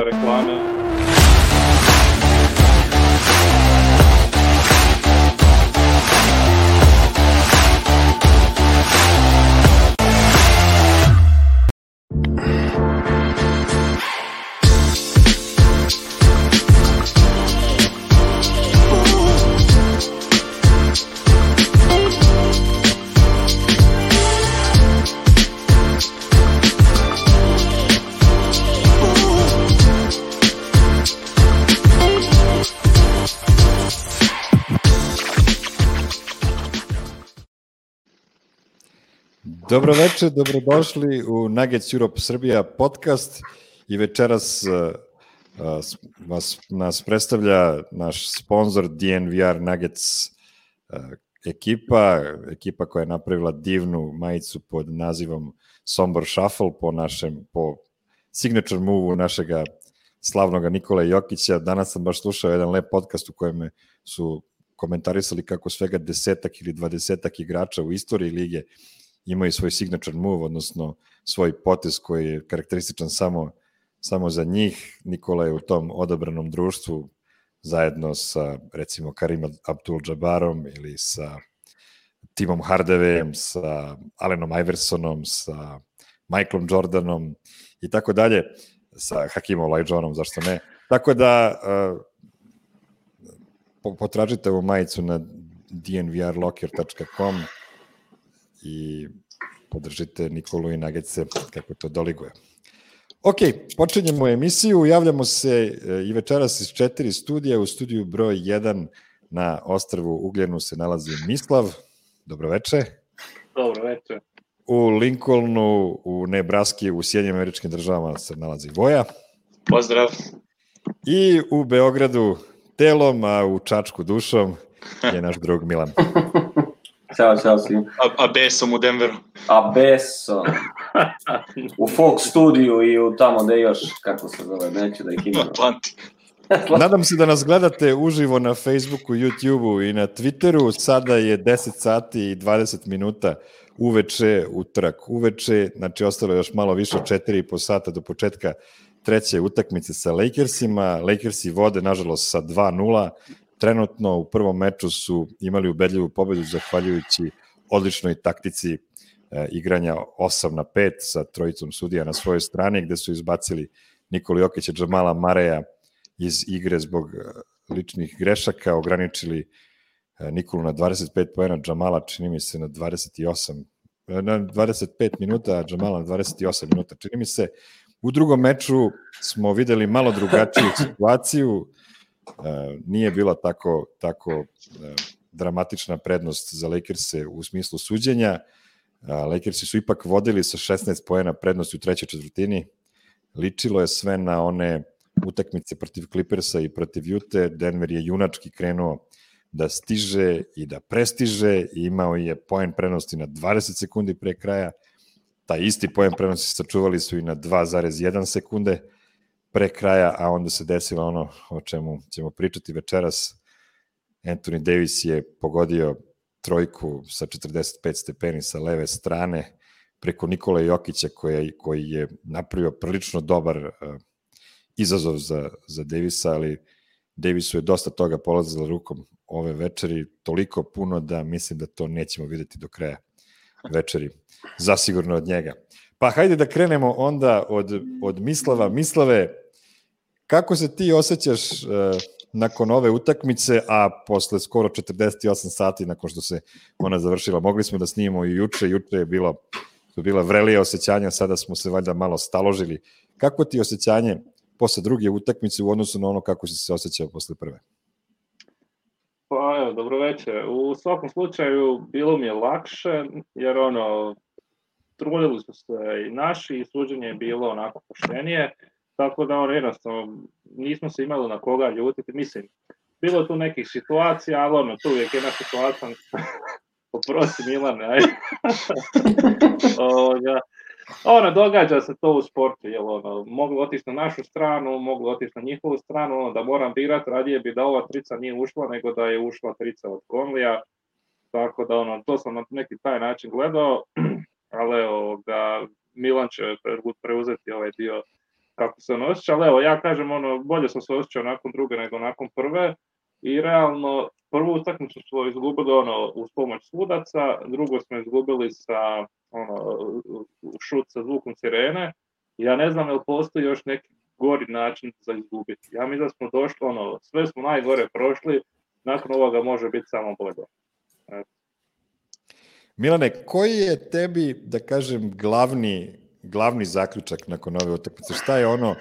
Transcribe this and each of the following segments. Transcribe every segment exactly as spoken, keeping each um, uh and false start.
reklame. Dobro večer, dobrodošli u Nuggets Europe Srbija podcast i večeras uh, uh, vas, nas predstavlja naš sponsor D N V R Nuggets uh, ekipa, ekipa koja je napravila divnu majicu pod nazivom Sombor Shuffle po našem, po signature move-u našega slavnoga Nikole Jokića. Danas sam baš slušao jedan lep podcast u kojem su komentarisali kako svega desetak ili dvadesetak igrača u istoriji lige imaju svoj signature move, odnosno svoj potez koji je karakterističan samo, samo za njih. Nikola je u tom odabranom društvu zajedno sa, recimo, Karim Abdul-Jabbarom ili sa Timom Hardawayem, sa Allenom Iversonom, sa Michaelom Jordanom i tako dalje, sa Hakimom Olajuwonom, zašto ne. Tako da uh, potražite ovu majicu na d n v r locker dot com i podržite Nikolu i Nuggetse kako to doliguje. Ok, počinjemo emisiju, javljamo se i večeras iz četiri studija. U studiju broj jedan na ostrvu Ugljenu se nalazi Mislav. Dobro veče. Dobro veče. U Lincolnu, u Nebraski, u Sjedinjenim Američkim Državama se nalazi Voja. Pozdrav. I u Beogradu telom, a u Čačku dušom je naš drug Milan. Ćao, čao svim. A, a besom u Denveru. A besom. U Fox studiju i u tamo da još, kako se zove, neću da ih imam. Atlantik. Nadam se da nas gledate uživo na Facebooku, YouTubeu i na Twitteru. Sada je deset sati i dvadeset minuta uveče, utorak uveče, znači ostalo je još malo više od četiri i po sata do početka treće utakmice sa Lakersima. Lakersi vode, nažalost, sa dva nula. Trenutno u prvom meču su imali ubedljivu pobedu zahvaljujući odličnoj taktici e, igranja osam na pet sa trojicom sudija na svojoj strani, gde su izbacili Nikolu Jokića, Džamala Mareja iz igre zbog ličnih grešaka, ograničili e, Nikolu na dvadeset pet poena, Džamala čini mi se na dvadeset osam, na dvadeset pet minuta, a Džamala na dvadeset osam minuta čini mi se. U drugom meču smo videli malo drugačiju situaciju. Uh, nije bila tako, tako uh, dramatična prednost za Lakerse u smislu suđenja. Uh, Lakersi su ipak vodili sa šesnaest poena prednosti u trećoj četvrtini. Ličilo je sve na one utakmice protiv Clippersa i protiv Ute. Denver je junački krenuo da stiže i da prestiže i imao je poen prednosti na dvadeset sekundi pre kraja. Taj isti poen prednosti sačuvali su i na dva zarez jedan sekunde pre kraja, a onda se desilo ono o čemu ćemo pričati večeras. Anthony Davis je pogodio trojku sa četrdeset pet stepeni sa leve strane preko Nikola Jokića koji, koji je napravio prilično dobar uh, izazov za, za Davisa, ali Davisu je dosta toga polazilo rukom ove večeri, toliko puno da mislim da to nećemo videti do kraja večeri, zasigurno od njega. Pa hajde da krenemo onda od, od Mislava. Mislave, kako se ti osjećaš uh, nakon ove utakmice, a posle skoro četrdeset osam sati nakon što se ona završila? Mogli smo da snimimo i juče, juče je bilo, su bila vrelija osjećanja, sada smo se valjda malo staložili. Kako ti osjećanje posle druge utakmice u odnosu na ono kako si se osjećao posle prve? Pa evo, dobro večer. U svakom slučaju bilo mi je lakše, jer ono, trudili su se i naši i suđenje je bilo onako poštenije, tako da ono jednostavno nismo se imali na koga ljutiti. Mislim, bilo je tu nekih situacija, ali ono, tu uvijek jedna situacija, oprosti Milane, ajde. Ovoga, ono, događa se to u sportu, jel ono, moglo otići na našu stranu, moglo otići na njihovu stranu, ono, da moram birati, radije bi da ova trica nije ušla, nego da je ušla trica od Conleya, tako da ono, to sam na neki taj način gledao, ali evo, ga, Milan će preuzeti ovaj dio kako se on osjeća, ali evo, ja kažem, ono, bolje sam se osjećao nakon druge nego nakon prve i realno prvu utakmicu smo izgubili ono, uz pomoć sudaca, drugo smo izgubili sa ono, šut sa zvukom sirene. Ja ne znam, jel postoji još neki gori način za izgubiti. Ja mislim da smo došli, ono, sve smo najgore prošli, nakon ovoga može biti samo bolje. Milane, koji je tebi, da kažem, glavni, glavni zaključak nakon ove utakmice? Šta je ono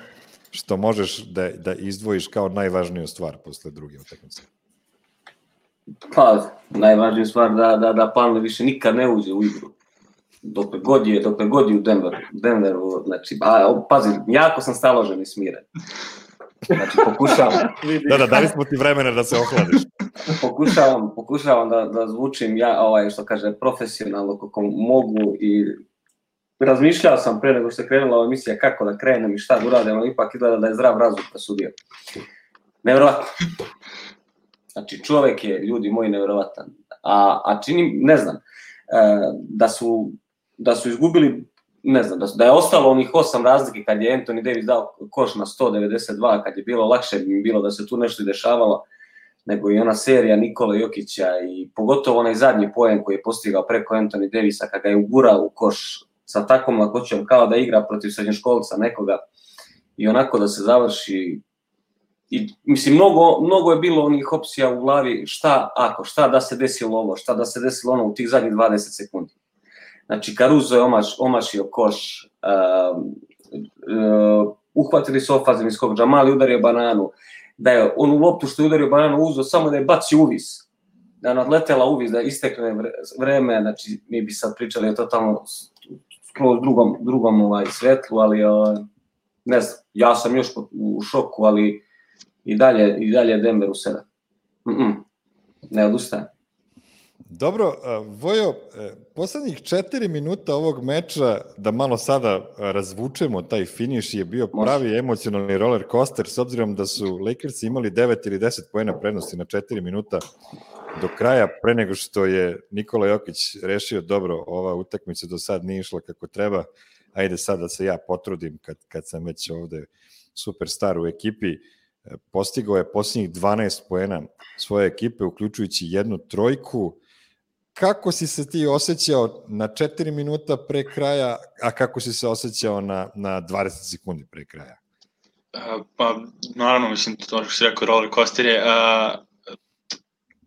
što možeš da, da izdvojiš kao najvažniju stvar posle druge utakmice? Pa, najvažnija stvar da, da, da Palmer više nikad ne uđe u igru. Dokle god je, dokle god je u Denveru, Denveru, znači, a, pazi, jako sam staložen i smiren. Znači, pokušavam... Da, da, dali smo ti vremena da se ohladiš. Pokušavam, pokušavam da, da zvučim, ja, ovaj, što kaže, profesionalno kako mogu i razmišljao sam pre nego što je krenula ova emisija kako da krenem i šta da uradim, ali ipak izgleda da je zdrav razum presudio. Nevjerovatno. Znači, čovek je, ljudi moji, nevjerovatan. A, a činim, ne znam, da su, da su izgubili, ne znam, da, su, da je ostalo onih osam razlike kad je Anthony Davis dao koš na sto devedeset dva, kad je bilo lakše bi bilo da se tu nešto i dešavalo, nego i ona serija Nikola Jokića i pogotovo onaj zadnji poen koji je postigao preko Anthony Davisa kad ga je ugurao u koš sa takvom lakoćom kao da igra protiv srednjoškolca nekoga i onako da se završi. I, mislim, mnogo, mnogo je bilo onih opcija u glavi šta ako, šta da se desilo ovo, šta da se desilo ono u tih zadnjih dvadeset sekundi. Znači, Caruso je omaš, omašio koš, uh, uh, uhvatili su ofanzivni skok, Jamal je udario bananu, da je on u loptu što je udario bananu uzeo samo da je bacio uvis, da je nadletela uvis, da istekne vreme, znači mi bi sad pričali o totalno skroz drugom, drugom ovaj, svetlu, ali uh, ne znam, ja sam još u šoku, ali i dalje, i dalje Denver u sebe. Mm-mm. Ne odustajem. Dobro, Vojo, poslednjih četiri minuta ovog meča, da malo sada razvučemo taj finiš, je bio pravi Može. emocionalni roller coaster, s obzirom da su Lakersi imali devet ili deset poena prednosti na četiri minuta do kraja, pre nego što je Nikola Jokić rešio dobro, ova utakmica do sad nije išla kako treba, ajde sad da se ja potrudim kad, kad sam već ovde superstar u ekipi. Postigao je posljednjih dvanaest poena svoje ekipe, uključujući jednu trojku. Kako si se ti osjećao na četiri minuta pre kraja, a kako si se osjećao na, na dvadeset sekundi pre kraja? Uh, pa, naravno, mislim, to što si rekao, roller coaster je, uh,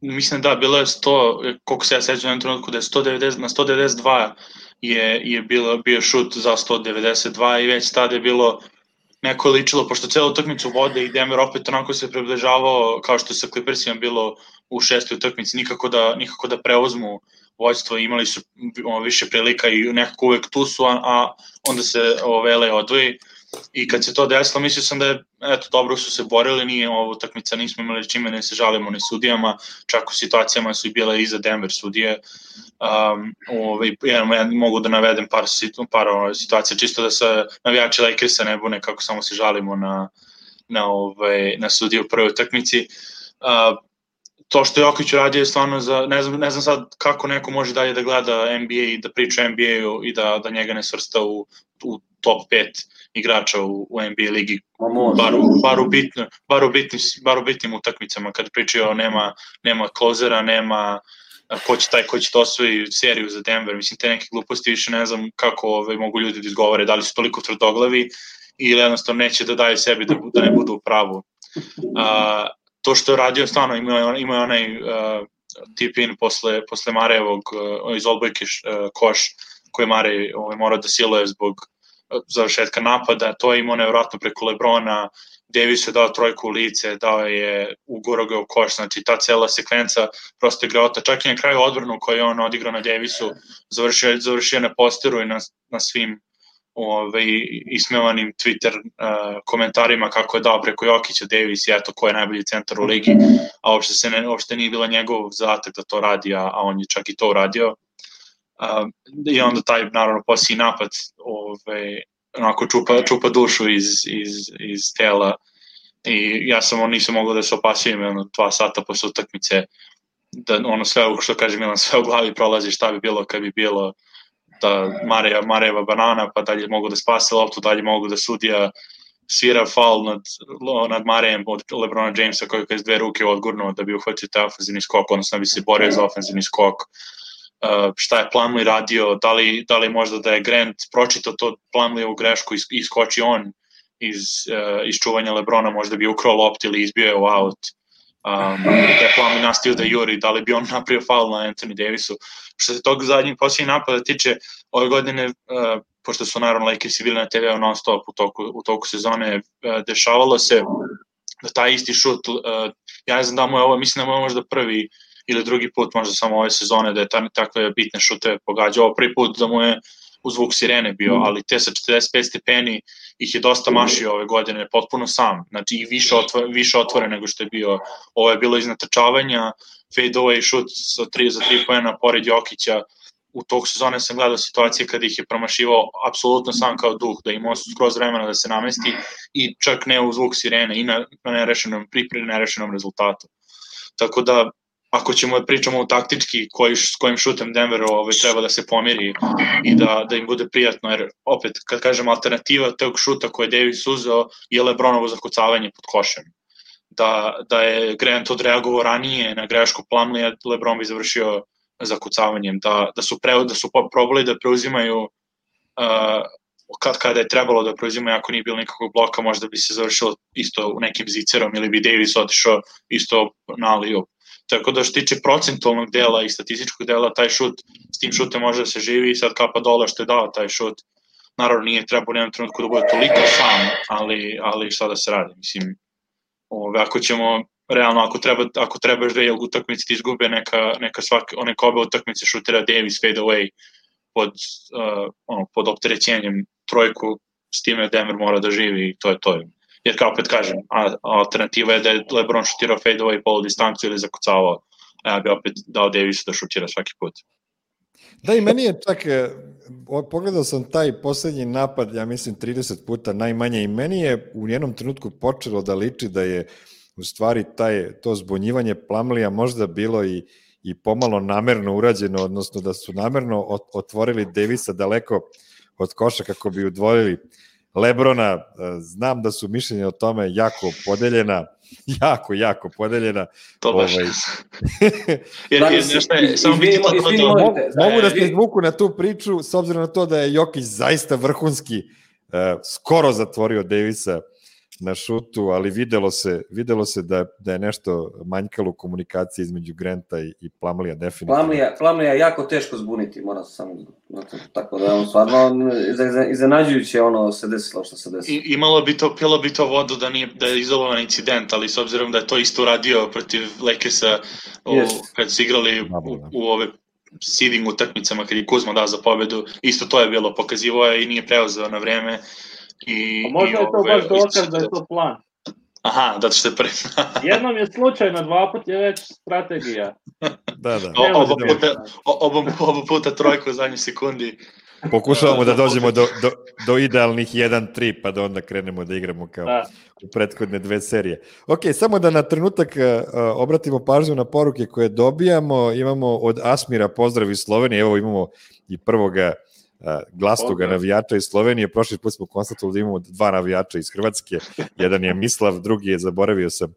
mislim da, bilo je sto, koliko se ja sećam na trenutku, da je sto devedeset, na sto devedeset dva je, je bilo, bio šut za sto devedeset dva i već tada je bilo neko ličilo, pošto celu utakmicu vode i Denver opet onako se približavao kao što se Clippersima bilo u šestoj utakmici, nikako da, nikako da preuzmu vođstvo, imali su o, više prilika i nekako uvek tu su, a, a onda se Vele odvoji i kad se to desilo, mislio sam da je, eto, dobro su se borili, nije ovo utakmica, nismo imali čime ne se žalimo ni sudijama, čak u situacijama su i bile iza Denver sudije. Um, ovaj, ja, ja mogu da navedem par, par situacija, čisto da se navijači Lakersa ne bune kako samo se žalimo na, na, ovaj, na sudije u prvoj utakmici. Uh, to što Jokić uradio je stvarno za, ne znam, ne znam sad kako neko može dalje da gleda N B A i da priča o N B A-u i da, da njega ne svrsta u, u top pet igrača u, u N B A ligi, bar, bar, u bitno, bar, u bitnim, bar u bitnim utakmicama, kad pričaju nema, nema klozera, nema ko će taj ko će to osvoji seriju za Denver, mislim te neke gluposti više ne znam kako ove, mogu ljudi da izgovore, da li su toliko tvrdoglavi ili jednostavno neće da daju sebi da, da ne budu u pravu. Uh, to što je radio stvarno ima, ima onaj uh, tip-in posle, posle Marejevog uh, iz odbojke uh, koš koji Marej ovaj, morao da siluje zbog uh, završetka napada, to je imao nevjerojatno preko Lebrona, Davis je dao trojku u lice, dao je ugurao ga u koš, znači ta cela sekvenca prosto je greota, čak i na kraju odbranu koju je on odigrao na Davisu, završio, završio na posteru i na, na svim ove, ismevanim Twitter uh, komentarima kako je dao preko Jokića Davis i eto ko je najbolji centar u ligi, a uopšte, se ne, uopšte nije bila njegov zadatak da to radi, a, a on je čak i to uradio. Uh, I onda taj, naravno, posliji napad ove, onako čupa, čupa dušu iz, iz, iz tela i ja sam on nisam mogao da se opasujem ono, dva sata posle utakmice da ono sve, što kaže Milan, sve u glavi prolazi šta bi bilo kad bi bilo da Mareja, Marejeva banana, pa dalje mogu da spase loptu, dalje mogu da sudija svira faul nad, nad Marejem od LeBrona Jamesa koji je s dve ruke odgurnuo da bi uhvatio taj ofenzivni skok, odnosno da bi se borio za ofenzivni skok. Uh, šta je Plumlee radio, da li, da li možda da je Grant pročitao to Plumleevu grešku i iskoči on iz, uh, iz čuvanja LeBrona, možda bi ukrao lopt ili izbio je u out. Um, da je Plumlee nastavio da juri, da li bi on napravio faul na Anthony Davisu. Što se tog zadnjeg posljednjeg napada tiče, ove godine, uh, pošto su naravno Lakersi bili na te ve non stop u toku, u toku sezone, uh, dešavalo se da taj isti šut, uh, ja ne znam da mu je ovo, mislim da mu je možda prvi ili drugi put možda samo ove sezone da je ta, takve bitne šute pogađao. Ovo prvi put da mu je u zvuk sirene bio, ali te sa četrdeset pet stepeni ih je dosta mašio ove godine, potpuno sam. Znači i više otvore, više otvore nego što je bio. Ovo je bilo iz natrčavanja, fade away šut sa tri, za tri poena pored Jokića. U tog sezone sam gledao situacije kada ih je promašivao apsolutno sam kao duh, da imao skroz vremena da se namesti i čak ne u zvuk sirene i na, na nerešenom, pri, pri nerešenom rezultatu. Tako da ako ćemo da pričamo o taktički koji, s kojim šutem Denveru ovaj, treba da se pomiri i da, da im bude prijatno, jer opet, kad kažem alternativa tog šuta koje je Davis uzeo je LeBronovo zakucavanje pod košem. Da, da je Grant odreagovao ranije na grešku Plumleeja, LeBron bi završio zakucavanjem. Da, da su, pre, da su probali da preuzimaju uh, kad, kada je trebalo da preuzimaju, ako nije bilo nikakvog bloka, možda bi se završilo isto u nekim zicerom ili bi Davis otišao isto na alley-oop. Tako da što tiče procentualnog dela i statističkog dela, taj šut, s tim šutem može da se živi i sad kapa dole što je dao taj šut. Naravno nije trebao u jednom trenutku da bude toliko sam, ali, ali šta da se radi. Mislim, ove, ako ćemo, realno, ako treba, ako trebaš da je utakmici ti izgube, neka, neka, svake, neka obe utakmice šutira Davis fade away pod, uh, ono, pod opterećenjem trojku, s time Denver mora da živi i to je to. Jer kao opet kažem, a, alternativa je da je LeBron šutirao fade away polu distancu ili zakucavao, a ja bi opet dao Davisu da šutira svaki put. Da, i meni je čak, pogledao sam taj poslednji napad, ja mislim trideset puta najmanje, i meni je u jednom trenutku počelo da liči da je u stvari taj, to zbunjivanje Plumleeja možda bilo i, i pomalo namerno urađeno, odnosno da su namerno otvorili Davisa daleko od koša kako bi udvojili LeBrona. Znam da su mišljenja o tome jako podeljena, jako, jako podeljena. To baš. Ovaj... jer, jer nešto je, samo biti to to do... Mogu, mogu da se izvuku na tu priču, s obzirom na to da je Jokić zaista vrhunski uh, skoro zatvorio Davisa na šutu, ali videlo se, videlo se da, da je nešto manjkalo u komunikaciji između Granta i, i Plumleeja, definitivno. Plumleeja je jako teško zbuniti, mora se samo, tako da je on stvarno iznenađujuće ono se desilo što se desilo. I, imalo bi to, pilo bi to vodu da, nije, da je izolovan incident, ali s obzirom da je to isto uradio protiv Lakersa yes. kad su igrali u, u ove seeding utakmicama, kad je Kuzma dao za pobedu, isto to je bilo, pokazivo je i nije preuzeo na vreme. I, a možda i je to ove, baš dokaz da je to plan. Aha, da što je prvi. Jednom je slučajno, dva put je već strategija. Da, da. O, oba, puta, oba, oba puta trojku u zadnjoj sekundi. Pokušavamo da dođemo do, do, do idealnih jedan tri, pa da onda krenemo da igramo kao da. U prethodne dve serije. Ok, samo da na trenutak uh, obratimo pažnju na poruke koje dobijamo. Imamo od Asmira pozdrav iz Slovenije, evo imamo i prvoga glasnoga okay. navijača iz Slovenije. Prošli put smo konstatovali da imamo dva navijača iz Hrvatske. Jedan je Mislav, drugi je, zaboravio sam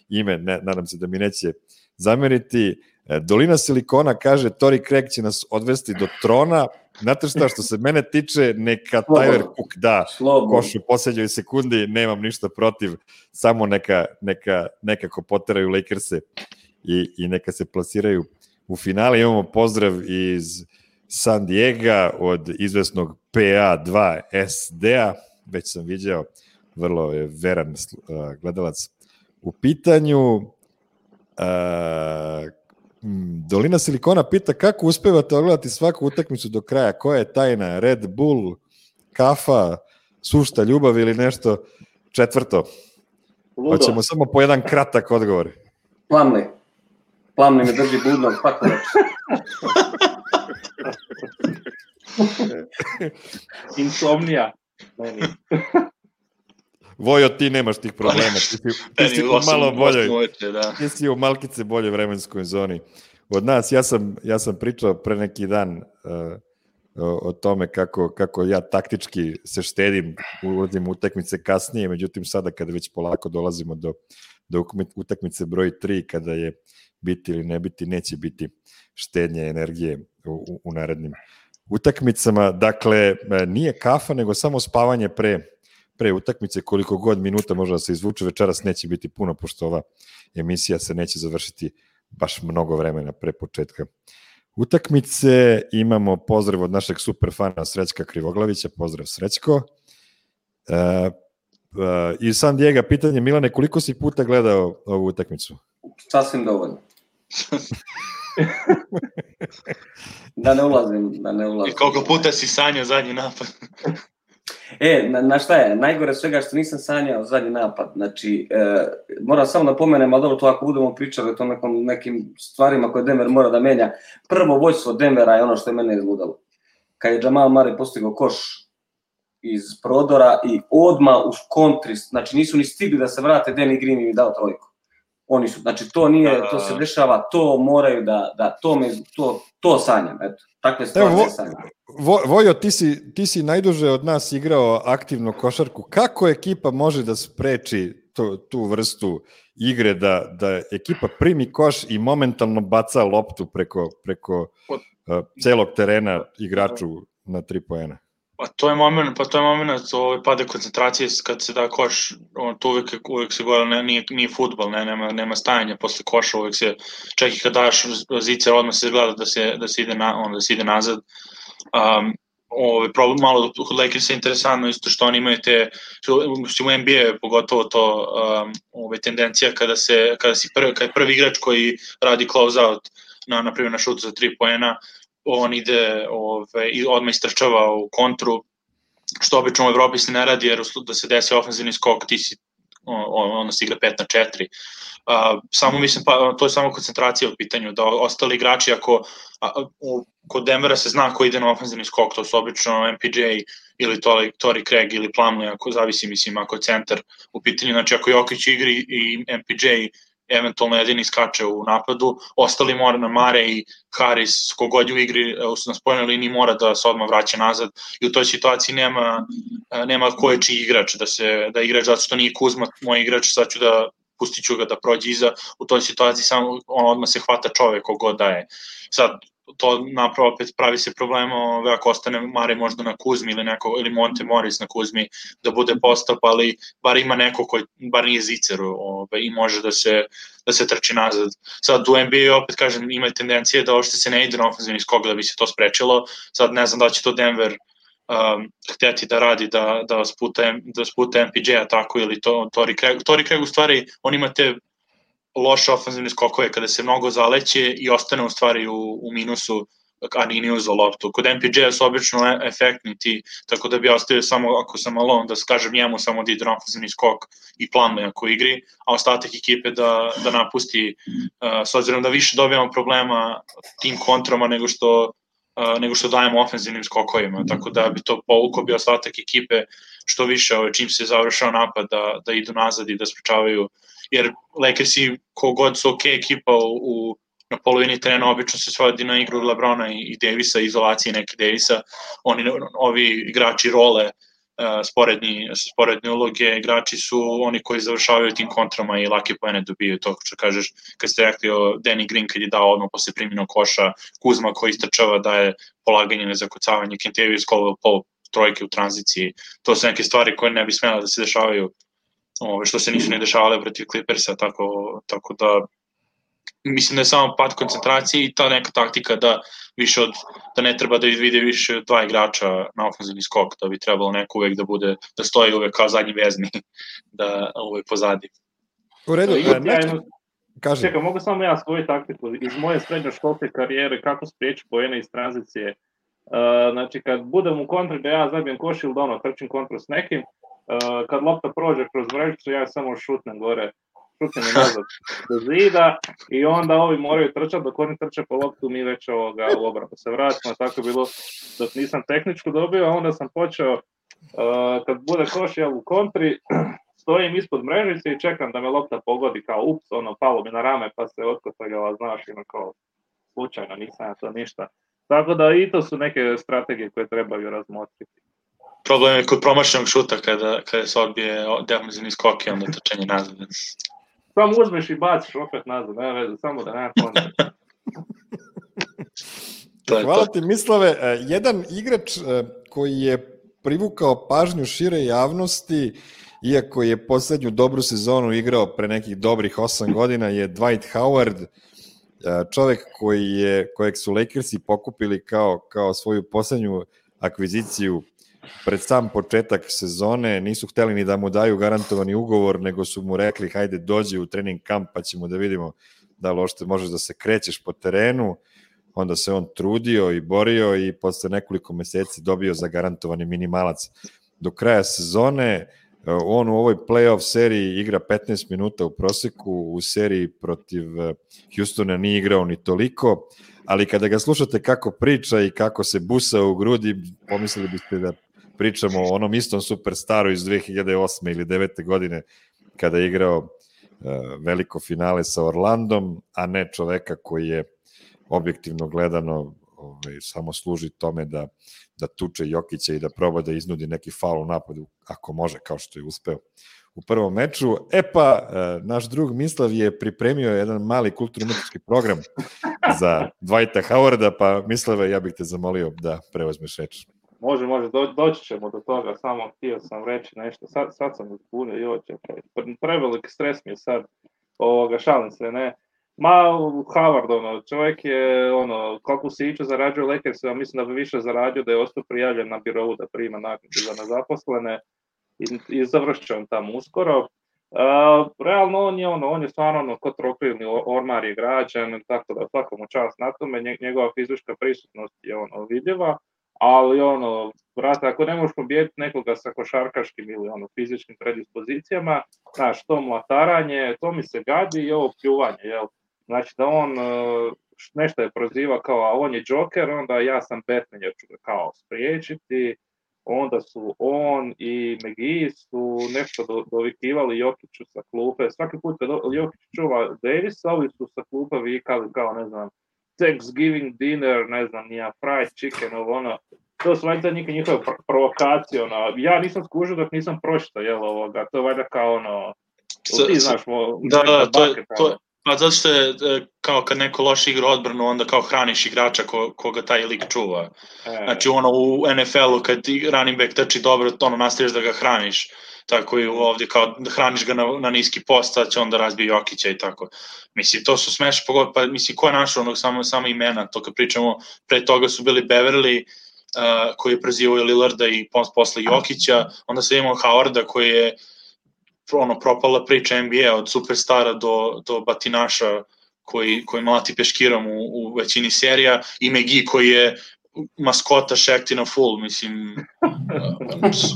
ime, ne, nadam se da mi neće zameriti. Dolina Silikona kaže, Torrey Craig će nas odvesti do trona. Znate šta, što se mene tiče, neka Tyler Cook da koš u posljednjoj sekundi, nemam ništa protiv, samo neka, neka, nekako poteraju Lakerse i, i neka se plasiraju u finale. Imamo pozdrav iz San Diego od izvesnog P A dva S D-a, već sam viđao, vrlo je veran uh, gledalac u pitanju. Uh, Dolina Silikona pita kako uspevate ogledati svaku utakmicu do kraja, koja je tajna, Red Bull, kafa, sušta ljubav ili nešto četvrto? Ludo. Hoćemo samo po jedan kratak odgovor. Plumlee. Plumlee me drži budno, svako reći. Insomnija. Vojo, ti nemaš tih problema. Ti si, ti si u malo boljoj, ti si u malkice boljoj vremenskoj zoni. Od nas, ja sam, ja sam pričao pre neki dan uh, o, o tome kako, kako ja taktički se štedim, ulazim u utakmice kasnije, međutim sada kada već polako dolazimo do, do utakmice broj tri, kada je biti ili ne biti, neće biti štednje energije u, u, u narednim utakmicama. Dakle, nije kafa, nego samo spavanje pre, pre utakmice, koliko god minuta može da se izvuče, večeras neće biti puno, pošto ova emisija se neće završiti baš mnogo vremena pre početka utakmice. Imamo pozdrav od našeg superfana Srećka Krivoglavića, pozdrav Srećko. Uh, uh, iz San Diego pitanje, Milane, koliko si puta gledao ovu utakmicu? Sasvim dovoljno. Da ne ulazim, da ne ulazim. I koliko puta si sanjao zadnji napad? E, na, na šta je? Najgore svega što nisam sanjao zadnji napad. Znači, e, moram samo da pomenem, ali dobro, to ako budemo pričali o tom nekom, nekim stvarima koje Denver mora da menja. Prvo vođstvo Denvera je ono što je mene izludalo. Kad je Jamal Murray postigao koš iz prodora i odmah u kontri, znači nisu ni stigli da se vrate, Danny Green im dao trojku. Oni su, znači to nije, to se dešava, to moraju da, da to, me, to, to sanjam, eto. Takve stvari vo, sanjam. Vo, Vojo, ti si, ti si najduže od nas igrao aktivnu košarku. Kako ekipa može da spreči to, tu vrstu igre, da, da ekipa primi koš i momentalno baca loptu preko, preko uh, celog terena igraču na tri poena? Pa to je moment, pa to je moment ovaj pada koncentracije kad se da koš, on to uvek uvek se gore nije nije fudbal, ne nema nema stajanja posle koša, uvek se čak i kad daš zicer odmah se gleda da se da se ide na on da se ide nazad. Um, ovaj problem malo kod Lakers je interesantno isto što oni imaju te što u N B A pogotovo to um, ovaj tendencija kada se kada si prvi kad prvi igrač koji radi close out na na primjer na šut za tri poena, on ide ove, i odmah istrčava u kontru, što obično u Evropi se ne radi, jer da se desi ofenzivni skok, ti si, on, onda se igra pet na četiri. Uh, samo mislim, pa, to je samo koncentracija u pitanju, da ostali igrači, ako a, u, kod Denvera se zna ko ide na ofenzivni skok, to su obično M P J ili Torrey Craig ili Plumlee, ako zavisi, mislim, ako je centar u pitanju, znači ako Jokić igri i M P J eventualno jedini skače u napadu, ostali mora na Mare i Harris, kogod u igri na spoljnoj liniji mora da se odmah vraća nazad i u toj situaciji nema, nema ko je čiji igrač, da, se, da igrač zato što nije Kuzma moj igrač, sad ću da pustit ću ga da prođe iza, u toj situaciji samo on odmah se hvata čovek kogod daje. Sad, to napravo opet pravi se problem ove, ako ostane Mare možda na Kuzmi ili, neko, ili Monte Morris na Kuzmi da bude postap, ali bar ima neko koji bar nije zicer ove, i može da se, da se trči nazad. Sad u N B A opet kažem ima tendencije da uopšte se ne ide na ofenzivni skok da bi se to sprečilo, sad ne znam da će to Denver um, hteti da radi da, da sputa, da sputa M P J-a tako ili to Torrey Craig. Torrey Craig u stvari on ima te loše ofenzivne skokove kada se mnogo zaleće i ostane u stvari u, u minusu, a nije uzao loptu. Kod M P J-a su obično efektni ti, tako da bi ja ostavio samo, ako sam alone, da skažem njemu samo da ide na ofenzivni skok i Plumlee ako igri, a ostatak ekipe da, da napusti, uh, s obzirom da više dobijamo problema tim kontrama nego što, uh, nego što dajemo ofenzivnim skokovima, tako da bi to povukao bi ostatak ekipe što više, ovaj, čim se završao napad, da, da idu nazad i da sprečavaju, jer Lakersi kogod su ok ekipa u, u na polovini terena obično se svodi na igru LeBrona i, i Davisa, izolacije neke Davisa, oni, ovi igrači role, uh, sporedni, sporedne uloge, igrači su oni koji završavaju tim kontrama i lake poene dobijaju, to što kažeš, kad ste rekli o Danny Green kad je dao odmah posle primjenog koša, Kuzma koji istrčava daje polaganje na zakucavanje, Kentavious Caldwell-Pope trojke u tranziciji, to su neke stvari koje ne bi smjela da se dešavaju, ove, što se nisu ne dešavale protiv Clippersa, tako, tako da mislim da je samo pad koncentracije i ta neka taktika da više od, da ne treba da vide više od dva igrača na ofenzivni skok, da bi trebalo neko uvek da bude, da stoji uvek kao zadnji vezni, da uvek pozadi. U redu, ja, nešto... Kažem. Čekaj, mogu samo ja svoju taktiku iz moje srednjoškolske karijere, kako spriječi poene iz tranzicije. Uh, znači, kad budem u kontri da ja zabijem koš ili da ono, trčim kontru s nekim, uh, kad lopta prođe kroz mrežicu, ja samo šutnem gore, šutnem i nazad do zida i onda ovi moraju trčati, dok oni trče po loptu, mi već ovoga u obranu se vratimo, tako je bilo dok nisam tehničku dobio, a onda sam počeo, uh, kad bude koš ja u kontri, stojim ispod mrežice i čekam da me lopta pogodi, kao ups, ono, palo mi na rame, pa se otkotagala, znaš, ima kao slučajno, nisam ja to ništa Tako da i to su neke strategije koje trebaju razmotriti. Problem je kod promašenog šuta kada, kada se odbije defanzivni skok i onda trčanje nazad. Samo uzmeš i baciš opet nazad, nema veze, samo da nema kontra. Hvala ti, Mislave. Jedan igrač koji je privukao pažnju šire javnosti, iako je poslednju dobru sezonu igrao pre nekih dobrih osam godina, je Dwight Howard, čovek koji je, kojeg su Lakersi pokupili kao, kao svoju poslednju akviziciju pred sam početak sezone. Nisu hteli ni da mu daju garantovani ugovor, nego su mu rekli hajde dođi u trening kamp pa ćemo da vidimo da li ošte možeš da se krećeš po terenu. Onda se on trudio i borio i posle nekoliko meseci dobio zagarantovani minimalac do kraja sezone. On u ovoj playoff seriji igra petnaest minuta u proseku, u seriji protiv Houstona nije igrao ni toliko, ali kada ga slušate kako priča i kako se busa u grudi, pomislili biste da pričamo o onom istom superstaru iz dve hiljade osme ili devete godine kada je igrao uh, veliko finale sa Orlandom, a ne čoveka koji je objektivno gledano ovaj, samo služi tome da, da tuče Jokića i da proba da iznudi neki faul u napadu, ako može, kao što je uspeo u prvom meču. E pa, naš drug Mislav je pripremio jedan mali kulturno-umetnički program za Dwighta Howarda, pa Mislave, ja bih te zamolio da preuzmeš reč. Može, može, do, doći ćemo do toga, samo htio sam reći nešto, sad, sad sam uzbunio, joj, čekaj, prevelik stres mi je sad, ovoga, šalim se, ne, ma, Howard, ono, čovjek je, ono, koliko se iću zarađuje Lakers, ja mislim da bi više zarađio da je ostao prijavljen na birovu da prima naknadu za nezaposlene i, i završće on tamo uskoro. Uh, realno on je, ono, on je stvarno, ono, ko trofejni ormar je građan, tako da svaka mu čast na tome, njegova fizička prisutnost je, ono, vidljiva, ali, ono, brate, ako ne možeš pobijediti nekoga sa košarkaškim ili, ono, fizičkim predispozicijama, znaš, to mlataranje, to mi se gadi i ovo pljuvanje, jel? Znači da on nešto je proziva kao, a on je Joker, onda ja sam Batman, jer ću ga kao spriječiti, onda su on i McGee su nešto do, dovikivali Jokiću sa klupe, svaki put kad Jokić čuva Davisa, ovi su sa klupe vikali kao, ne znam, Thanksgiving dinner, ne znam, nija fried chicken, ovo ono, to su valjda neke njihove provokacije, ono, ja nisam skužio dok nisam pročitao, jel, ovoga, to je valjda kao, ono, ti znaš, mo, da, da, to je, to, pa zato što je, kao kad neko loše igra odbranu, onda kao hraniš igrača ko, koga taj lik čuva. E. Znači, ono, u N F L-u kad running back trči dobro, ono, nastaviš da ga hraniš, tako i ovdje, kao da hraniš ga na, na niski post, sad će onda razbije Jokića i tako. Mislim, to su smeš, pa mislim, ko je našao onog samo, samo imena, to kad pričamo, pre toga su bili Beverly, Uh, koji je prezivao Lillarda i posle Jokića, onda se imao Howarda koji je ono, propala priča N B A od superstara do, do batinaša koji, koji mlati peškirom u, u većini serija i McGee koji je maskota Shaqtina full, mislim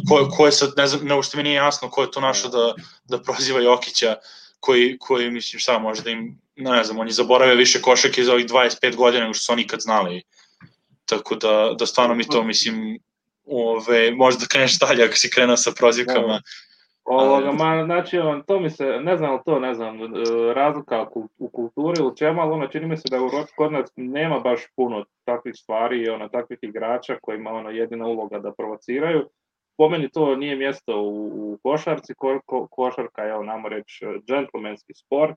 ko, ko je sad, ne znam, ne ušte mi nije jasno ko je to našao da, da proziva Jokića koji, koji, mislim, šta može da im, ne znam, on je zaboravio više košake za ovih dvadeset pet godina nego što su oni ikad znali. Tako da, da stvarno mi to, mislim, ove, možda da kreneš dalje ako si krenuo sa prozivkama. Ovoga, ma, znači, on, to mi se, ne znam, to ne znam, razlika u kulturi ili čemu, ali ono, čini mi se da u kod nas nema baš puno takvih stvari i ono, takvih igrača kojima ono, jedina uloga da provociraju. Po meni to nije mjesto u, u košarci, ko, ko, košarka je, namo reći, džentlmenski sport.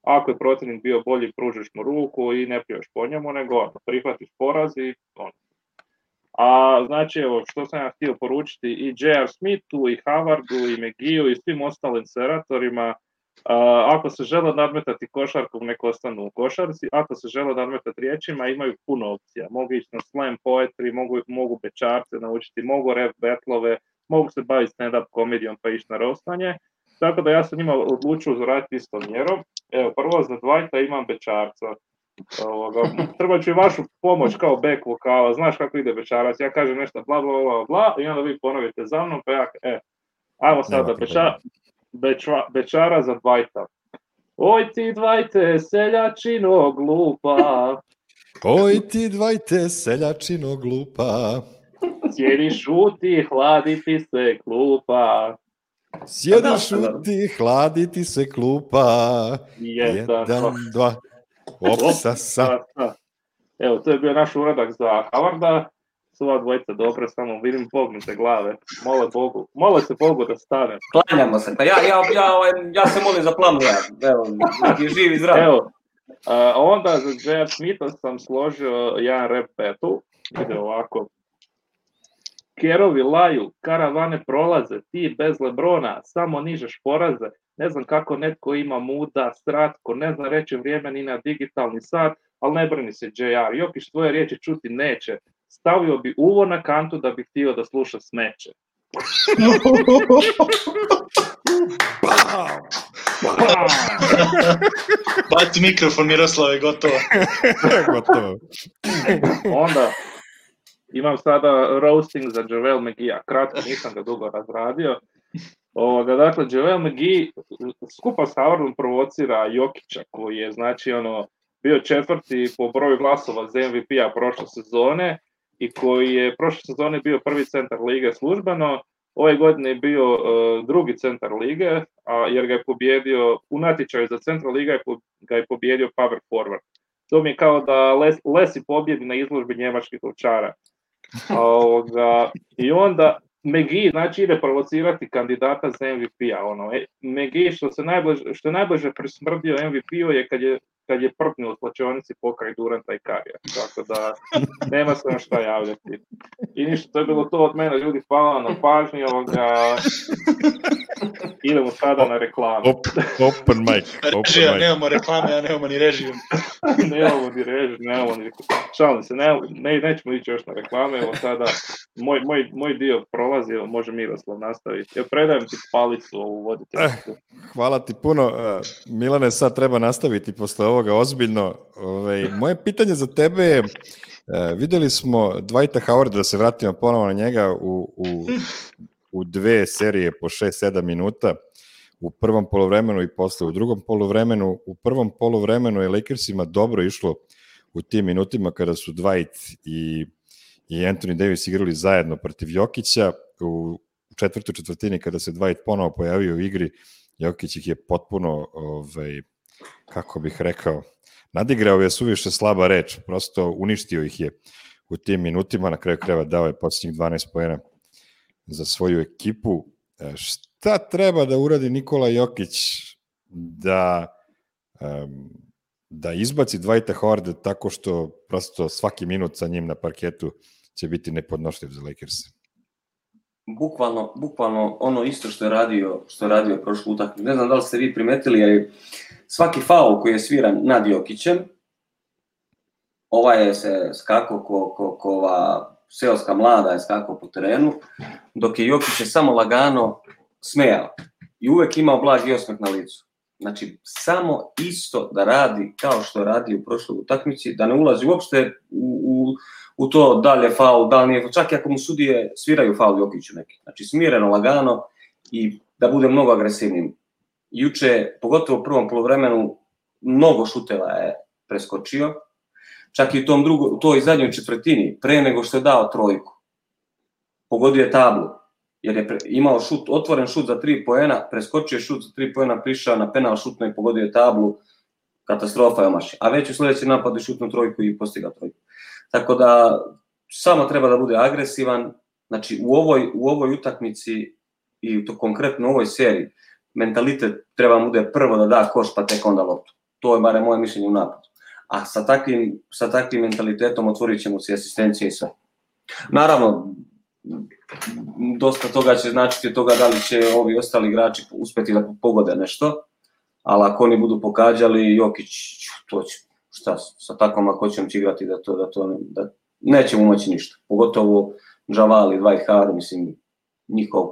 Ako je protivnik bio bolji, pružiš mu ruku i ne pljuješ po njemu, nego ono, prihvatiš poraz i ono. A znači, evo, što sam ja htio poručiti i J R. Smithu, i Howardu, i McGee-u, i svim ostalim seratorima, a, ako se žele nadmetati košarkom, nek ostanu u košarci, ako se žele nadmetati riječima, imaju puno opcija. Mogu ići na slam poetry, mogu, mogu bečarce naučiti, mogu rap battlove, mogu se baviti stand-up komedijom pa ići na rostanje. Tako da ja sam njima odlučio zaraditi istom mjerom. Evo, prvo za Dwighta imam bečarca. Ovoga, treba ću i vašu pomoć kao back vokala, znaš kako ide bečarac, ja kažem nešto bla bla bla bla i onda vi ponovite za mnom, pa ja, e, ajmo sada beča, beča, bečara za Dwighta. Oj ti Dwighte, seljačino glupa. Oj ti Dwighte, seljačino glupa. Sjediš šuti, hladi ti se klupa. Sjediš šuti, hladi ti se klupa. Jedan, Jedan dva. Opsa, sa. Evo, to je bio naš uradak za Howarda. Sva dvojica dobro, samo vidim pognute glave. Mole Bogu, mole se Bogu da stane. Klanjamo se, pa ja, ja, ja, ja se molim za plan ja. Evo, je živ i zdrav. Evo, a, onda za J R. Smitha sam složio jedan rap battle. Ide ovako. Kerovi laju, karavane prolaze, ti bez Lebrona, samo nižeš poraze. Ne znam kako netko ima muda, stratko, ne znam reći vrijeme ni na digitalni sat, ali ne brini se J R. Jokić tvoje riječi čuti neće. Stavio bi uvo na kantu da bi htio da sluša smeće. Baci mikrofon, Miroslave, gotovo. Gotovo. Onda imam sada roasting za JaVale McGee-a. Kratko, nisam ga dugo razradio. Ovoga, dakle, JaVale McGee skupa s Howardom provocira Jokića, koji je, znači, ono, bio četvrti po broju glasova za M V P-a prošle sezone i koji je prošle sezone bio prvi centar lige službeno. Ove godine je bio uh, drugi centar lige, a, jer ga je pobjedio u natječaju za centar liga, je po, ga je pobjedio power forward. To mi je kao da Les, Lesi pobjedi na izložbi njemačkih ovčara. Ovoga, i onda McGee, znači, ide provocirati kandidata za M V P-a. Ono. E, McGee, što, se najbliže, što je najbliže prismrdio M V P-u je kad je, kad je prpnio u slačionici pokraj Duranta i Karija. Tako da nema se na šta javljati. I ništa, to je bilo to od mene. Ljudi, hvala na pažnji. Ovoga. Idemo sada na reklamu. Open mic. Režija, nemamo reklame, a nemamo ni režiju. nemamo ni režiju, nemamo ni... Šalim se, ne, ne, nećemo ići još na reklame. Evo sada, moj, moj, moj dio prolazi, može Miroslav nastaviti. Ja predajem ti palicu ovu voditeljicu. Hvala ti puno. Milane, sad treba nastaviti posle ovoga ozbiljno. Ove, moje pitanje za tebe je, videli smo Dwighta Howarda, da se vratimo ponovo na njega, u, u, u dve serije po šest sedam minuta, u prvom poluvremenu i posle u drugom poluvremenu. U prvom poluvremenu je Lakersima dobro išlo u tim minutima kada su Dwight i, i Anthony Davis igrali zajedno protiv Jokića. U četvrtoj četvrtini kada se Dwight ponovo pojavio u igri, Jokić ih je potpuno, ovaj, kako bih rekao, nadigrao je suviše slaba reč, prosto uništio ih je u tim minutima, na kraju krajeva dao je posljednjih dvanaest poena za svoju ekipu. Šta treba da uradi Nikola Jokić da, um, da izbaci Dwighta Howarda tako što prosto svaki minut sa njim na parketu će biti nepodnošljiv za Lakers? Bukvalno, bukvalno ono isto što je radio, što je radio prošlu utakmicu. Ne znam da li ste vi primetili, ali svaki faul koji je sviran nad Jokićem, ovaj je se skakao ko, ko, ko ova seoska mlada je skakao po terenu, dok je Jokić je samo lagano smejao i uvek imao blagi osmeh na licu. Znači, samo isto da radi kao što radi u prošloj utakmici, da ne ulazi uopšte u, u, u to da li je faul, da li nije, čak i ako mu sudije sviraju faul Jokiću neki. Znači, smireno, lagano i da bude mnogo agresivnim. Juče, pogotovo u prvom poluvremenu, mnogo šuteva je preskočio, čak i u tom drugo, u toj zadnjoj četvrtini, pre nego što je dao trojku. Pogodio je tablu, jer je pre, imao šut, otvoren šut za tri poena, preskočio je šut za tri poena, prišao na penal šutno i pogodio je tablu, katastrofa je omašio. A već u sljedećem napadu je šutnu trojku i postigao trojku. Tako da, samo treba da bude agresivan, znači u ovoj, u ovoj utakmici i to konkretno u ovoj seriji, mentalitet treba mu bude prvo da da koš pa tek onda loptu. To je bare moje mišljenje u napadu. A sa takvim, sa takvim mentalitetom otvorit ćemo se asistencije i sve. Naravno, dosta toga će značiti od toga da li će ovi ostali igrači uspeti da pogode nešto, ali ako oni budu pogađali, Jokić, to će, šta, sa takvom lakoćom će igrati da to, da to, da nećemo moći ništa. Pogotovo Javal i Dwight Howard, mislim, njihov,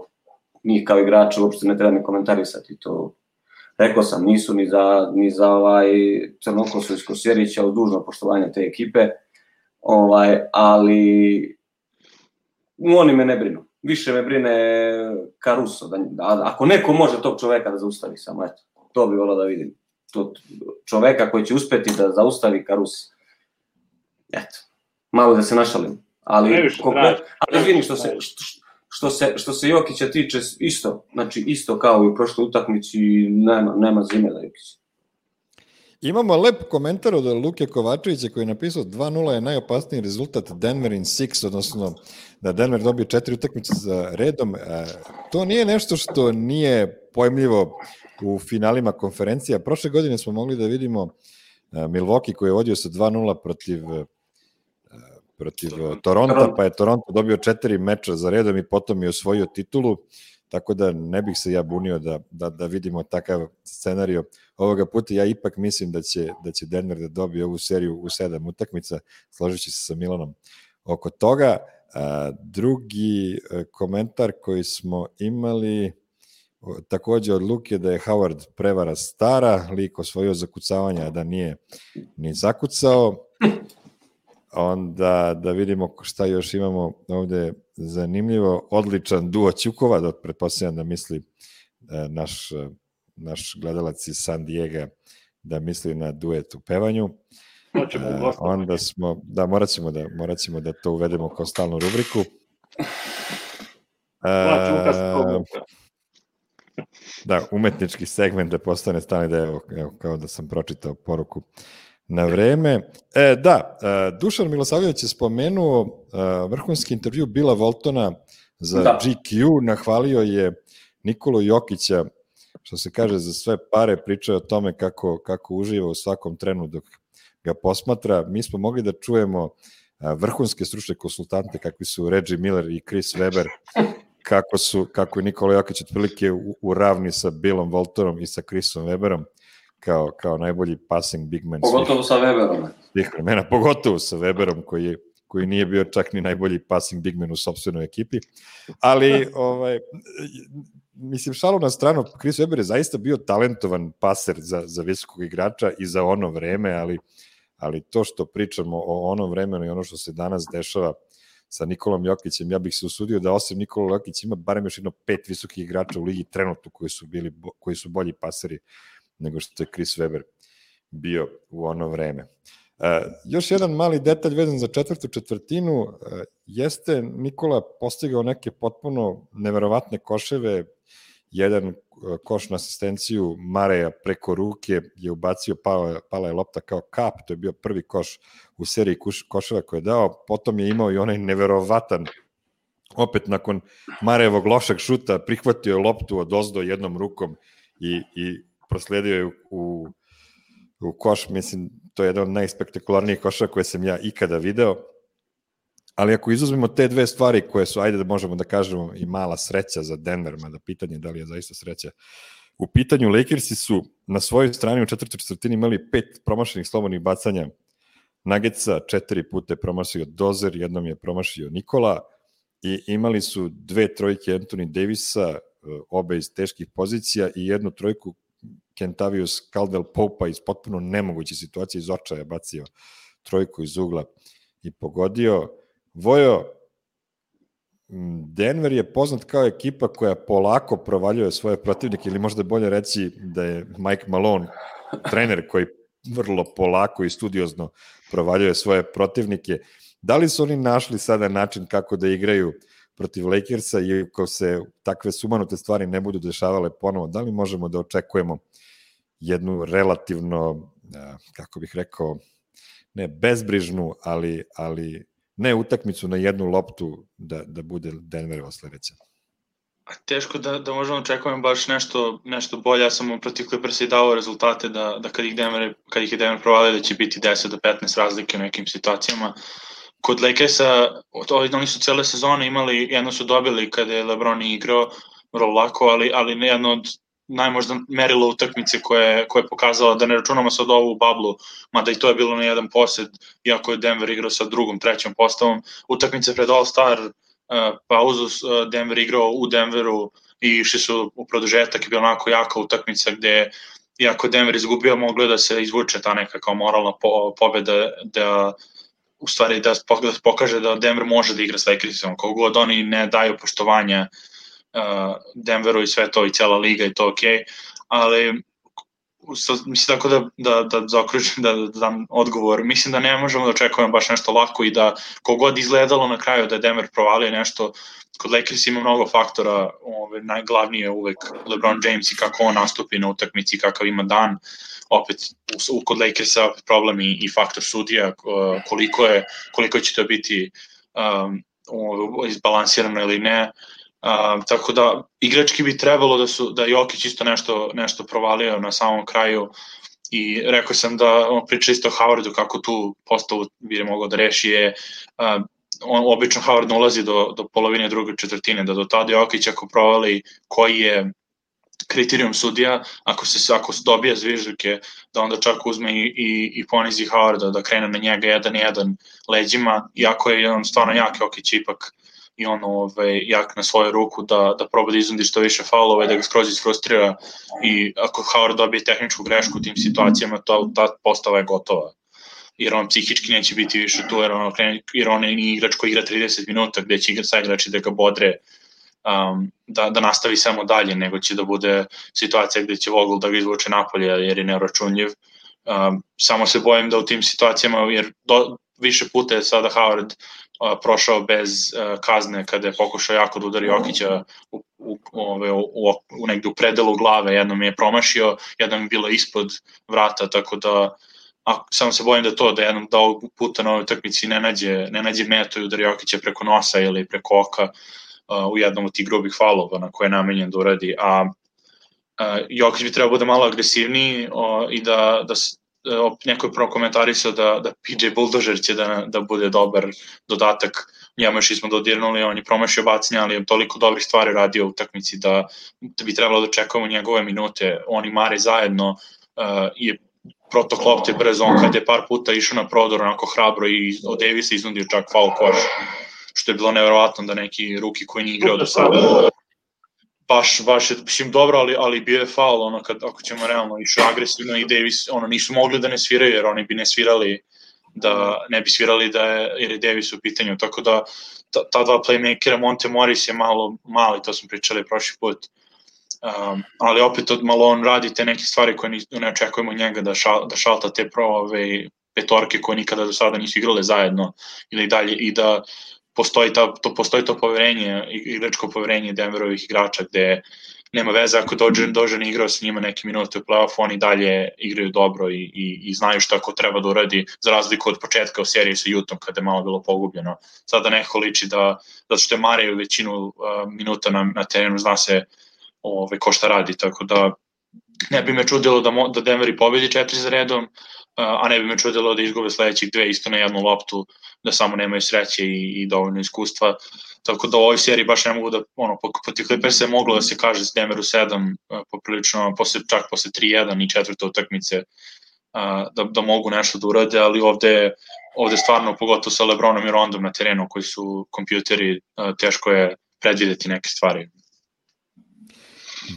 njih kao igrača uopšte ne treba ni komentarisati, to rekao sam, nisu ni za, ni za ovaj Crnokosu iz Kosjerića, uz dužno poštovanje te ekipe, ovaj, ali oni me ne brinu. Više me brine Caruso. Da, da, ako neko može tog čoveka da zaustavi samo, eto, to bi volao da vidim. To, čoveka koji će uspeti da zaustavi Caruso. Eto, malo da se našalim. Ali, konkret, ali vidim što se, što, što, se, što se Jokića tiče isto, znači isto kao i u prošloj utakmici, nema, nema zime da Jokića. Imamo lep komentar od Luke Kovačevića koji je napisao dva nula je najopasniji rezultat Denver in six, odnosno da Denver dobije četiri utakmice za redom. To nije nešto što nije pojmljivo u finalima konferencija. Prošle godine smo mogli da vidimo Milwaukee koji je vodio sa dva nula protiv protiv Toronta, pa je Toronto dobio četiri meča za redom i potom je osvojio titulu, tako da ne bih se ja bunio da, da, da vidimo takav scenario ovoga puta. Ja ipak mislim da će, da će Denver da dobije ovu seriju u sedam utakmica, složit se sa Milanom oko toga. A, drugi komentar koji smo imali takođe od Luke da je Howard prevara stara, lik osvojio zakucavanja, a da nije ni zakucao. Onda da vidimo šta još imamo ovde zanimljivo. Odličan duo Ćukova, da pretpostavljam da misli naš, naš gledalac iz San Diego, da misli na duet u pevanju. Uh, onda smo, da, morat ćemo da, morat ćemo da to uvedemo kao stalnu rubriku. Uh, da, umetnički segment da postane stalni deo, evo, kao da sam pročitao poruku na vreme. E, da, Dušan Milosavljević je spomenuo vrhunski intervju Billa Waltona za da. G Q, nahvalio je Nikolu Jokića, što se kaže, za sve pare, pričao o tome kako, kako uživa u svakom trenu dok ga posmatra. Mi smo mogli da čujemo vrhunske stručne konsultante kakvi su Reggie Miller i Chris Webber, kako, su, kako je Nikola Jokić otprilike u, u ravni sa Billom Waltonom i sa Chrisom Webberom, kao, kao najbolji passing big man. Pogotovo svih, sa Weberom. Svih vremena, pogotovo sa Weberom, koji, je, koji nije bio čak ni najbolji passing big man u sopstvenoj ekipi. Ali, ovaj, mislim, šalu na stranu, Chris Webber je zaista bio talentovan paser za, za visokog igrača i za ono vreme, ali, ali to što pričamo o onom vremenu i ono što se danas dešava sa Nikolom Jokićem, ja bih se usudio da osim Nikola Jokić ima barem još jedno pet visokih igrača u ligi trenutno koji su, bili, koji su bolji paseri nego što je Chris Webber bio u ono vreme. Uh, još jedan mali detalj vezan za četvrtu četvrtinu, uh, jeste Nikola postigao neke potpuno neverovatne koševe, jedan uh, koš na asistenciju Mareja preko ruke je ubacio, pala, pala je lopta kao kap, to je bio prvi koš u seriji kuš, koševa koje je dao, potom je imao i onaj neverovatan, opet nakon Marejevog lošeg šuta, prihvatio je loptu od ozdo jednom rukom i, i prosledio je u, u, u koš, mislim, to je jedan od najspektakularnijih koša koje sam ja ikada video, ali ako izuzmemo te dve stvari koje su, ajde da možemo da kažemo, i mala sreća za Denver, mada pitanje da li je zaista sreća, u pitanju Lakersi su na svojoj strani u četvrtoj četvrtini imali pet promašenih slobodnih bacanja Nuggetsa, četiri puta je promašio Dozer, jednom je promašio Nikola i imali su dve trojke Anthony Davisa, obe iz teških pozicija i jednu trojku Kentavius Caldwell Pope-a iz potpuno nemoguće situacije, iz očaja bacio trojku iz ugla i pogodio. Vojo, Denver je poznat kao ekipa koja polako provaljuje svoje protivnike, ili možda bolje reći da je Mike Malone trener koji vrlo polako i studiozno provaljuje svoje protivnike. Da li su oni našli sada način kako da igraju protiv Lakersa i ako se takve sumanute stvari ne budu dešavale ponovo, da li možemo da očekujemo jednu relativno, kako bih rekao, ne bezbrižnu, ali, ali ne utakmicu na jednu loptu da, da bude Denverova sledeća? Teško da, da možemo očekujemo baš nešto, nešto bolje. Ja sam protiv Clippersa i dao rezultate da, da kad ih Denver, kad ih je Denver provalio da će biti deset do petnaest razlike u nekim situacijama. Kod Lakersa, oni su cele sezone imali, jedno su dobili kada je LeBron igrao vrlo lako, ali, ali jedno od najmožda merilo utakmice koje, koje je pokazala, da ne računamo sad ovu bablu, mada i to je bilo na jedan posed, iako je Denver igrao sa drugom, trećom postavom. Utakmice pred All-Star uh, pauzu uh, Denver igrao u Denveru i išli su u produžetak i bila onako jaka utakmica gde, iako Denver izgubio, moglo da se izvuče ta neka kao moralna po, pobeda da u stvari da pokaže da Denver može da igra s Lakersom, kako god oni ne daju poštovanja uh, Denveru i sve to i cela liga i to okej, okay. Ali mislim tako da, da, da zaokružim, da, da dam odgovor. Mislim da ne možemo da očekujemo baš nešto lako i da kogod izgledalo na kraju da je Denver provalio nešto, kod Lakers ima mnogo faktora, ove, najglavniji je uvek LeBron James i kako on nastupi na utakmici, kakav ima dan. Opet u, kod Lakersa opet problem i, i faktor sudija, koliko, je, koliko će to biti um, izbalansirano ili ne. Uh, tako da igrački bi trebalo da su da Jokić isto nešto nešto provalio na samom kraju i rekao sam da on priča isto o Howardu kako tu postavu bi mogao da reši je uh, on obično Howard ne ulazi do do polovine druge četvrtine, da do tada Jokić ako provali koji je kriterijum sudija, ako se ako se dobije zvižduke, da onda čak uzme i, i, i ponizi Howarda, da krene na njega jedan jedan leđima, iako je on stvarno jak, Jokić ipak i on ovaj, jak na svoju ruku da, da proba da iznundi što više faulova i da ga skroz isfrustrira i ako Howard dobije tehničku grešku u tim situacijama, to, ta postava je gotova. Jer on psihički neće biti više tu, jer on, jer on je igrač koji igra trideset minuta gde će igra sa igrači da ga bodre, um, da, da nastavi samo dalje, nego će da bude situacija gde će Vogel da ga izvuče napolje jer je neuračunljiv. Um, samo se bojim da u tim situacijama, jer do, više puta je sada Howard uh, prošao bez uh, kazne kada je pokušao jako da udari Jokića u, u, ove, u, u, u negde u predelu glave, jednom je promašio, jednom je bilo ispod vrata, tako da a, samo se bojim da to, da jednom da ovog puta na ovoj utakmici ne nađe, ne nađe meto i udari Jokića preko nosa ili preko oka uh, u jednom od tih grubih falova na koje je namenjen da uradi, a uh, Jokić bi trebao bude malo agresivniji uh, i da, da neko je prokomentarisao da, da P J Bulldozer će da, da bude dobar dodatak, njemu još smo dodirnuli, on je promašio bacanja, ali je toliko dobrih stvari radio u utakmici da, da bi trebalo da čekamo njegove minute, on i Mare zajedno uh, je protok lopte brzo, on kad je par puta išao na prodor onako hrabro i od Davisa iznudio čak foul koš, što je bilo nevjerovatno da neki ruki koji nije igrao do sada baš, baš je, mislim, dobro, ali, ali bio je faul, ono, kad, ako ćemo realno, išao agresivno i Davis, ono, nisu mogli da ne sviraju, jer oni bi ne svirali, da, ne bi svirali da je, jer je Davis u pitanju, tako da, ta, ta dva playmakera, Monte Morris je malo, mali, to smo pričali prošli put, um, ali opet od malo on radi te neke stvari koje ni, ne očekujemo njega da, šal, da šalta te pro, ove, petorke koje nikada do sada nisu igrale zajedno, ili dalje, i da postoji, ta, to, postoji to poverenje, igračko poverenje Denverovih igrača gde nema veze ako dođe, dođe ne igrao sa njima neke minute u play-off, oni dalje igraju dobro i, i, i znaju šta ko treba da uradi, za razliku od početka u seriji sa Jutom kada je malo bilo pogubljeno. Sada neko liči da, zato što je Mareju većinu uh, minuta na, na terenu, zna se ove, ko šta radi, tako da ne bi me čudilo da, mo, da Denveri pobedi četiri za redom, a ne bi me čudilo da izgube sledećih dve isto na jednu loptu, da samo nemaju sreće i, i dovoljno iskustva. Tako da u ovoj seriji baš ne mogu da, ono, po, po ti Clippers je moglo da se kaže s Denveru sedam, poprilično, posle, čak posle tri jedan i četvrte utakmice, da, da mogu nešto da urade, ali ovde, ovde stvarno, pogotovo sa LeBronom i Rondom na terenu, koji su kompjuteri, teško je predvideti neke stvari.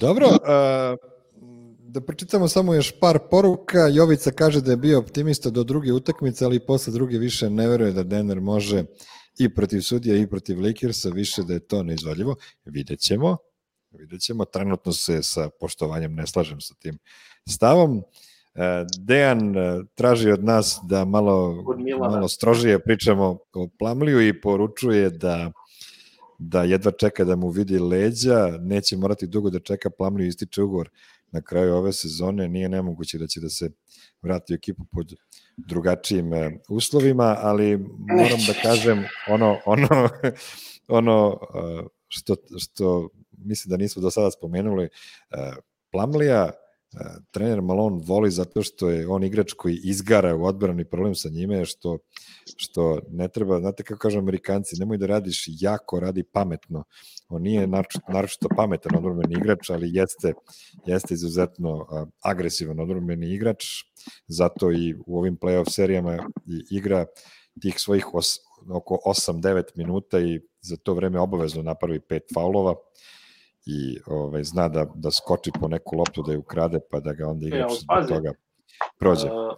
Dobro, uh... da pročitamo samo još par poruka. Jovica kaže da je bio optimista do druge utakmice, ali posle druge više ne veruje da Denver može i protiv sudija i protiv Lakersa, više da je to neizvodljivo. Vidjet ćemo. Vidjet ćemo. Trenutno se sa poštovanjem ne slažem sa tim stavom. Dejan traži od nas da malo, malo strožije pričamo o Plumleeju i poručuje da da jedva čeka da mu vidi leđa, neće morati dugo da čeka, Plumlee ističe ugovor na kraju ove sezone, nije nemoguće da će da se vrati u ekipu pod drugačijim uslovima, ali moram da kažem ono, ono, ono što, što mislim da nismo do sada spomenuli, Plumleeja trener Malone voli zato što je on igrač koji izgara u odbrani, problem sa njime je što, što ne treba, znate kako kažu Amerikanci, nemoj da radiš jako, radi pametno. On nije naročito pametan odbrambeni igrač, ali jeste, jeste izuzetno agresivan odbrambeni igrač, zato i u ovim play-off serijama igra tih svojih os, oko osam devet minuta i za to vreme obavezno napravi pet faulova i ovaj, zna da, da skoči po neku loptu da je ukrade, pa da ga onda igrač zbog toga prođe. Uh,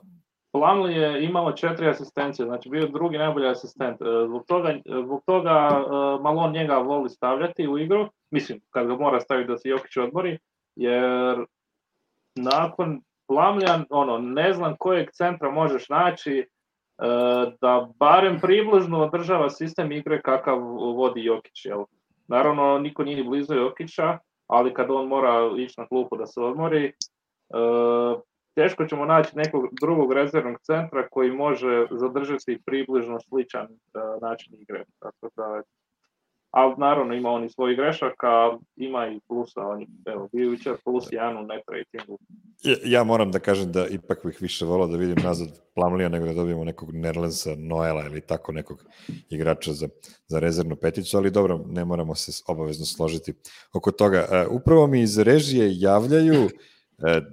Plumlee je imao četiri asistencije, znači bio drugi najbolji asistent. Uh, zbog toga, zbog toga uh, Malone njega voli stavljati u igru, mislim, kad ga mora staviti da se Jokić odmori, jer nakon Plamljan, ono, ne znam kojeg centra možeš naći da barem približno održava sistem igre kakav vodi Jokić, jel? Naravno, niko nije blizu Jokića, ali kad on mora ići na klupu da se odmori, teško ćemo naći nekog drugog rezervnog centra koji može zadržati približno sličan način igre. Tako da, ali naravno ima on i svojih grešaka, ima i plusa, on je, evo, bio jučer plus jedan u net ratingu. Ja, ja moram da kažem da ipak bih više volao da vidim nazad Plumleeja nego da dobijemo nekog Nerlensa, Noela ili tako nekog igrača za, za rezervnu peticu, ali dobro, ne moramo se obavezno složiti oko toga. Uh, upravo mi iz režije javljaju uh,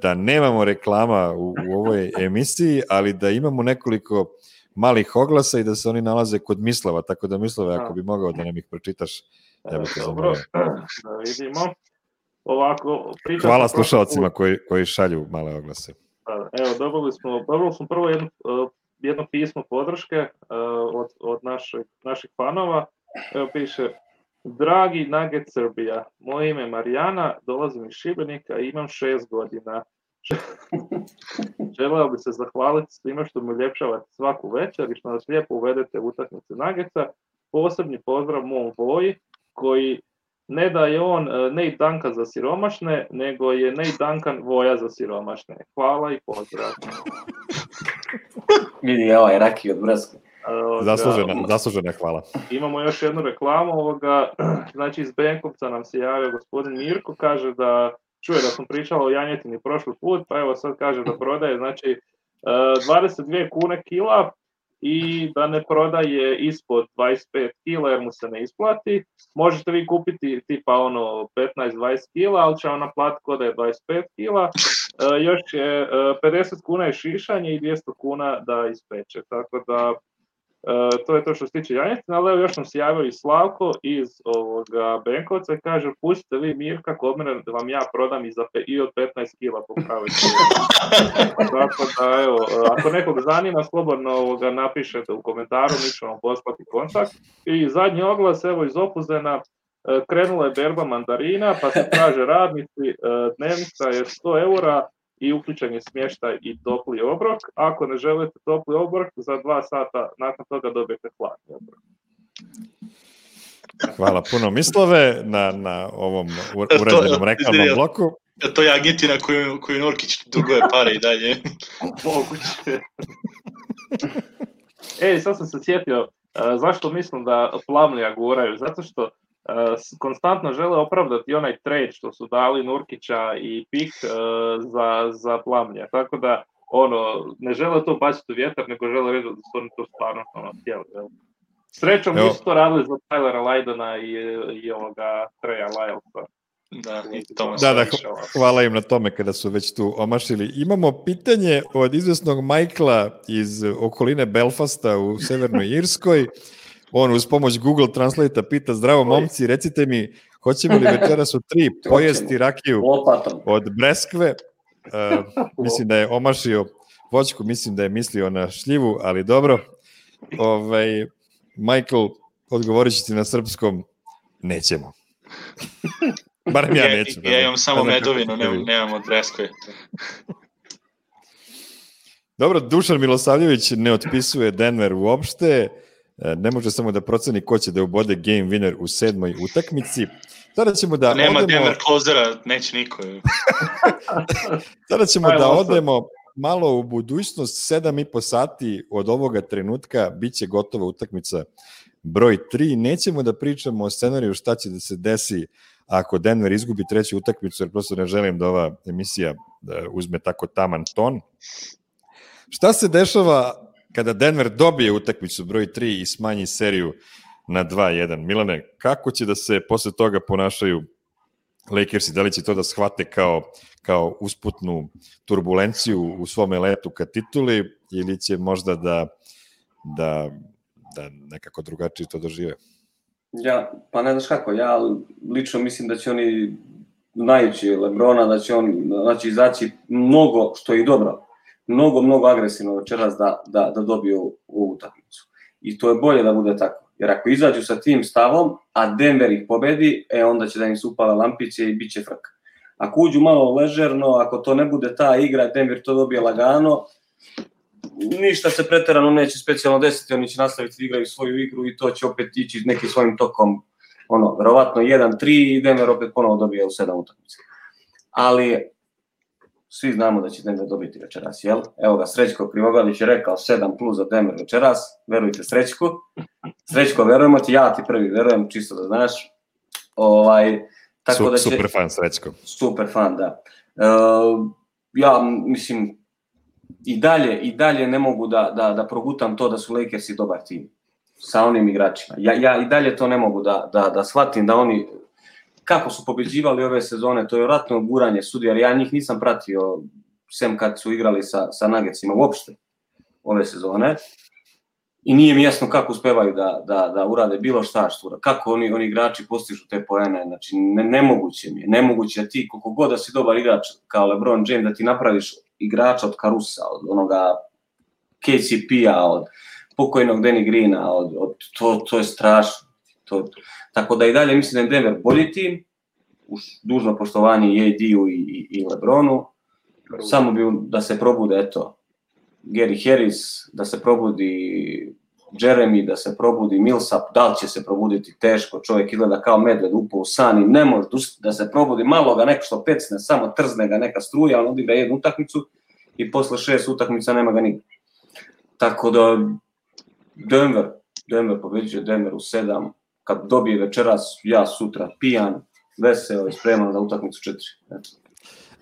da nemamo reklama u, u ovoj emisiji, ali da imamo nekoliko malih oglasa i da se oni nalaze kod Mislava, tako da Mislava, ako bi mogao da nam ih pročitaš, ja bih te zamolio. Da vidimo. Ovako, hvala slušalcima koji, koji šalju male oglase. Evo, dobili smo, dobili smo prvo jedno, jedno pismo podrške od, od naših, naših fanova. Evo piše: Dragi Nugget Srbija, moje ime je Marijana, dolazim iz Šibenika i imam šest godina. Želeo bi se zahvaliti svima što mi uljepšavate svaku večer i što nas lijepo uvedete u utakmice Nuggetsa. Posebni pozdrav mom Voji, koji ne da je on Nate Duncan za siromašne, nego je Nate Duncan Voja za siromašne. Hvala i pozdrav. Vidi ovaj Raki od Breskve. Zaslužena, zaslužena hvala. Imamo još jednu reklamu ovoga, znači iz Benkovca nam se javio gospodin Mirko, kaže da čuje da sam pričala o janjetini prošli put, pa evo sad kaže da prodaje, znači dvadeset dvije kune kila i da ne prodaje ispod dvadeset pet kila jer mu se ne isplati. Možete vi kupiti tipa ono petnaest dvadeset kila, ali će vam naplatiti kod da je dvadeset pet kila. E, još je pedeset kuna je šišanje i dvjesto kuna da ispeče, tako da e, to je to što se tiče janjetina, ali evo još nam se javio i Slavko iz ovoga Benkovca i kaže: pustite vi Mirka kod mene da vam ja prodam i, za pe, i od petnaest kila po pravoj cijeni. Tako da evo, ako nekog zanima, slobodno ovoga napišete u komentaru, mi ćemo poslati kontakt. I zadnji oglas, evo iz Opuzena, krenula je berba mandarina, pa se traže radnici, dnevnica je sto eura i uključen je smještaj i topli obrok. Ako ne želite topli obrok, za dva sata nakon toga dobijete hladni obrok. Hvala puno Mislove na, na ovom uređenom reklamnom bloku. To je agentina koju, koju Norkić duguje pare i dalje. Moguće. Ej, sad sam se sjetio, uh, zašto mislim da Plumleeja guraju? Zato što uh, konstantno žele opravdati onaj trade što su dali Nurkića i pik uh, za, za Plumleeja. Tako da, ono, ne žele to baciti u vjetar, nego žele reći da su oni to stvarno ono, htjeli. Srećom nisu to radili za Tylera Lydona i, i ovoga Treja Lylesa. Da, to da, da, hvala im na tome kada su već tu omašili. Imamo pitanje od izvesnog Michaela iz okoline Belfasta u Severnoj Irskoj. On uz pomoć Google Translate pita: zdravo momci, recite mi, hoćemo li večeras u tri pojesti rakiju od Breskve? Uh, mislim da je omašio voćku, mislim da je mislio na šljivu, ali dobro. Ovaj, Michael, odgovorit ću ti na srpskom: nećemo. Barem ja neću. Ja, ja imam samo medovinu, nemam, nemam od Breskve. Dobro, Dušan Milosavljević ne otpisuje Denver uopšte, ne može samo da proceni ko će da ubode game winner u sedmoj utakmici. Sada ćemo da Nema odemo... Denver closera, neće niko. Sada ćemo da odemo malo u budućnost, sedam i po sati od ovoga trenutka biće gotova utakmica broj tri. Nećemo da pričamo o scenariju šta će da se desi ako Denver izgubi treću utakmicu, jer prosto ne želim da ova emisija uzme tako taman ton. Šta se dešava kada Denver dobije utakmicu broj tri i smanji seriju na dva jedan? Milane, kako će da se posle toga ponašaju Lakersi? Da li će to da shvate kao, kao usputnu turbulenciju u svome letu ka tituli ili će možda da, da, da nekako drugačije to dožive? Ja, pa ne znaš kako, ja lično mislim da će oni znajući Lebrona, da će on znači, izaći mnogo, što je i dobro, mnogo, mnogo agresivno večeras da, da, da dobiju ovu utakmicu. I to je bolje da bude tako. Jer ako izađu sa tim stavom, a Denver ih pobedi, e onda će da im se upala lampice i bit će frka. Ako uđu malo ležerno, ako to ne bude ta igra, Denver to dobije lagano, ništa se pretjerano neće specijalno desiti, oni će nastaviti da igraju svoju igru i to će opet ići nekim svojim tokom, ono, verovatno jedan tri i Denver opet ponovo dobije u sedam utakmica. Ali svi znamo da će Denver dobiti večeras, jel? Evo ga, Srećko Krivogalić je rekao sedam plus za Denver večeras, verujte Srećku. Srećko, verujemo ti, ja ti prvi verujem, čisto da znaš. Ovaj, tako da će, super fan, Srećko. Super fan, da. Uh, ja, mislim, i dalje, i dalje ne mogu da, da, da progutam to da su Lakersi dobar tim sa onim igračima. Ja, ja i dalje to ne mogu da, da, da shvatim da oni, kako su pobeđivali ove sezone, to je vjerojatno guranje sudija, ja njih nisam pratio, sem kad su igrali sa, sa Nuggetsima uopšte ove sezone. I nije mi jasno kako uspevaju da, da, da urade bilo šta što kako oni, oni igrači postižu te poene, znači ne, nemoguće mi je, nemoguće da ti koliko god da si dobar igrač kao LeBron James da ti napraviš igrača od Carusa, od onoga K C P-a, od pokojnog Danny Greena, od, od, to, to je strašno. To, tako da i dalje mislim da je Denver bolji tim, uz dužno poštovanje i A D-u i, i, i LeBronu, samo bi da se probude, eto, Gary Harris, da se probudi Jeremy, da se probudi Millsap, da li će se probuditi teško, čovjek izgleda kao medved upao u san i ne može da se probudi, malo ga neko što pecne, samo trzne ga neka struja, on odigra jednu utakmicu i posle šest utakmica nema ga nigdje. Tako da Denver, Denver pobeđuje Denver u sedam, kad dobije večeras, ja sutra pijan, veseo i spreman za utakmicu četiri. Eto.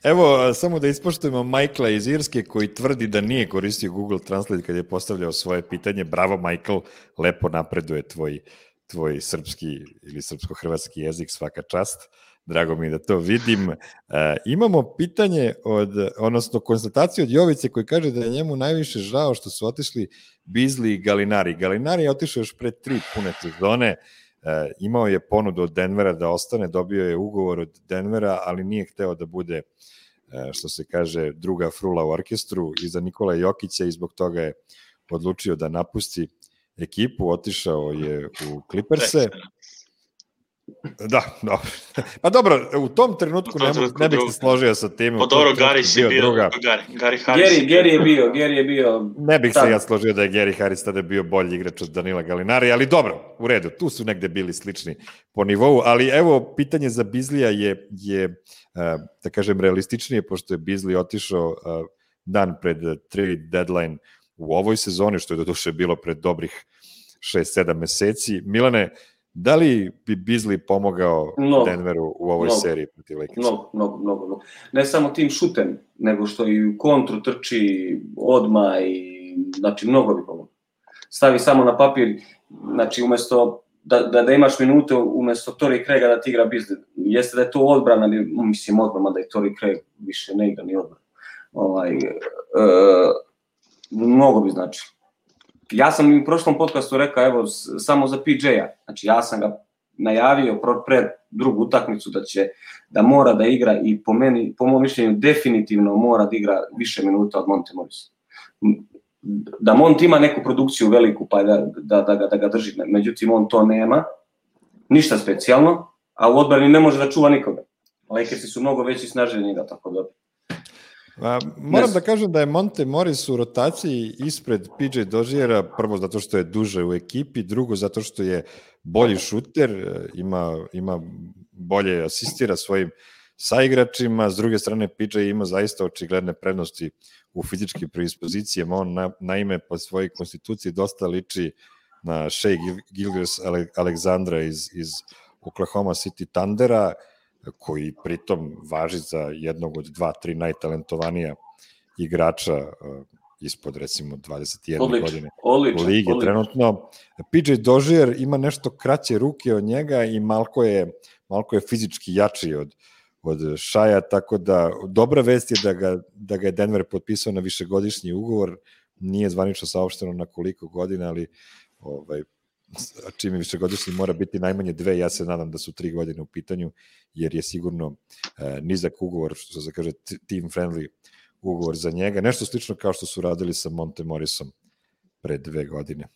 Evo, samo da ispoštujemo Michaela iz Irske koji tvrdi da nije koristio Google Translate kad je postavljao svoje pitanje. Bravo, Michael, lepo napreduje tvoj, tvoj srpski ili srpsko-hrvatski jezik, svaka čast. Drago mi je da to vidim. E, imamo pitanje, od, odnosno konstataciju od Jovice koji kaže da je njemu najviše žao što su otišli Beasley i Gallinari. Gallinari je otišao još pre tri pune sezone, e, imao je ponudu od Denvera da ostane, dobio je ugovor od Denvera, ali nije hteo da bude, što se kaže, druga frula u orkestru iza Nikola Jokića i zbog toga je odlučio da napusti ekipu, otišao je u Clippers-e. Da, dobro. Pa dobro, u tom trenutku ne, ne bih se složio sa tim. Pa dobro, Gary si bio, druga. Gary, Gary Harris. Gary, Gary je bio, Gary je bio. Ne bih se ja složio da je Gary Harris tada bio bolji igrač od Danila Gallinari, ali dobro, u redu, tu su negde bili slični po nivou, ali evo, pitanje za Beasleya je, je da kažem, realističnije, pošto je Beasley otišao dan pred trade deadline u ovoj sezoni, što je doduše bilo pred dobrih šest sedam meseci. Milane, da li bi Beasley pomogao no, Denveru u ovoj no, seriji protiv Lakersa? Mnogo, mnogo, mnogo, mnogo. Ne samo tim šutem, nego što i u kontru trči odmah i, znači, mnogo bi pomogao. Stavi samo na papir, znači, umesto da, da, da imaš minute, umesto Torrey Craiga da ti igra Beasley. Jeste da je to odbrana, mislim odbrana, da je Torrey Craig više ne igra ni odbrana. Ovaj, e, mnogo bi znači. Ja sam u prošlom podcastu rekao, evo, samo za P J-a, znači ja sam ga najavio pred drugu utakmicu da će, da mora da igra i po meni, po mom mišljenju, definitivno mora da igra više minuta od Monte Morrisa. Da Monte ima neku produkciju veliku, pa da, da, da, ga, da ga drži, međutim on to nema, ništa specijalno, a u odbrani ne može da čuva nikoga. Lakersi su mnogo veći i snažniji njega, tako da. A, moram da kažem da je Monte Morris u rotaciji ispred P J Doziera, prvo zato što je duže u ekipi, drugo zato što je bolji šuter, ima, ima bolje asistira svojim saigračima, s druge strane P J ima zaista očigledne prednosti u fizičkim predispozicijama, on na, naime po svojoj konstituciji dosta liči na Shai Gilgeous-Alexandra iz, iz Oklahoma City Thundera, koji pritom važi za jednog od dva, tri najtalentovanija igrača uh, ispod recimo dvadeset jedne odlično, godine odlično, u ligi odlično. Trenutno. P J Dozier ima nešto kraće ruke od njega i malko je, malko je fizički jači od, od Shaia, tako da dobra vest je da ga, da ga je Denver potpisao na višegodišnji ugovor, nije zvanično saopšteno na koliko godina, ali ovaj, čim je višegodišnji mora biti najmanje dve, ja se nadam da su tri godine u pitanju, jer je sigurno e, nizak ugovor, što se kaže team friendly ugovor za njega, nešto slično kao što su radili sa Monte Morrisom pre dve godine.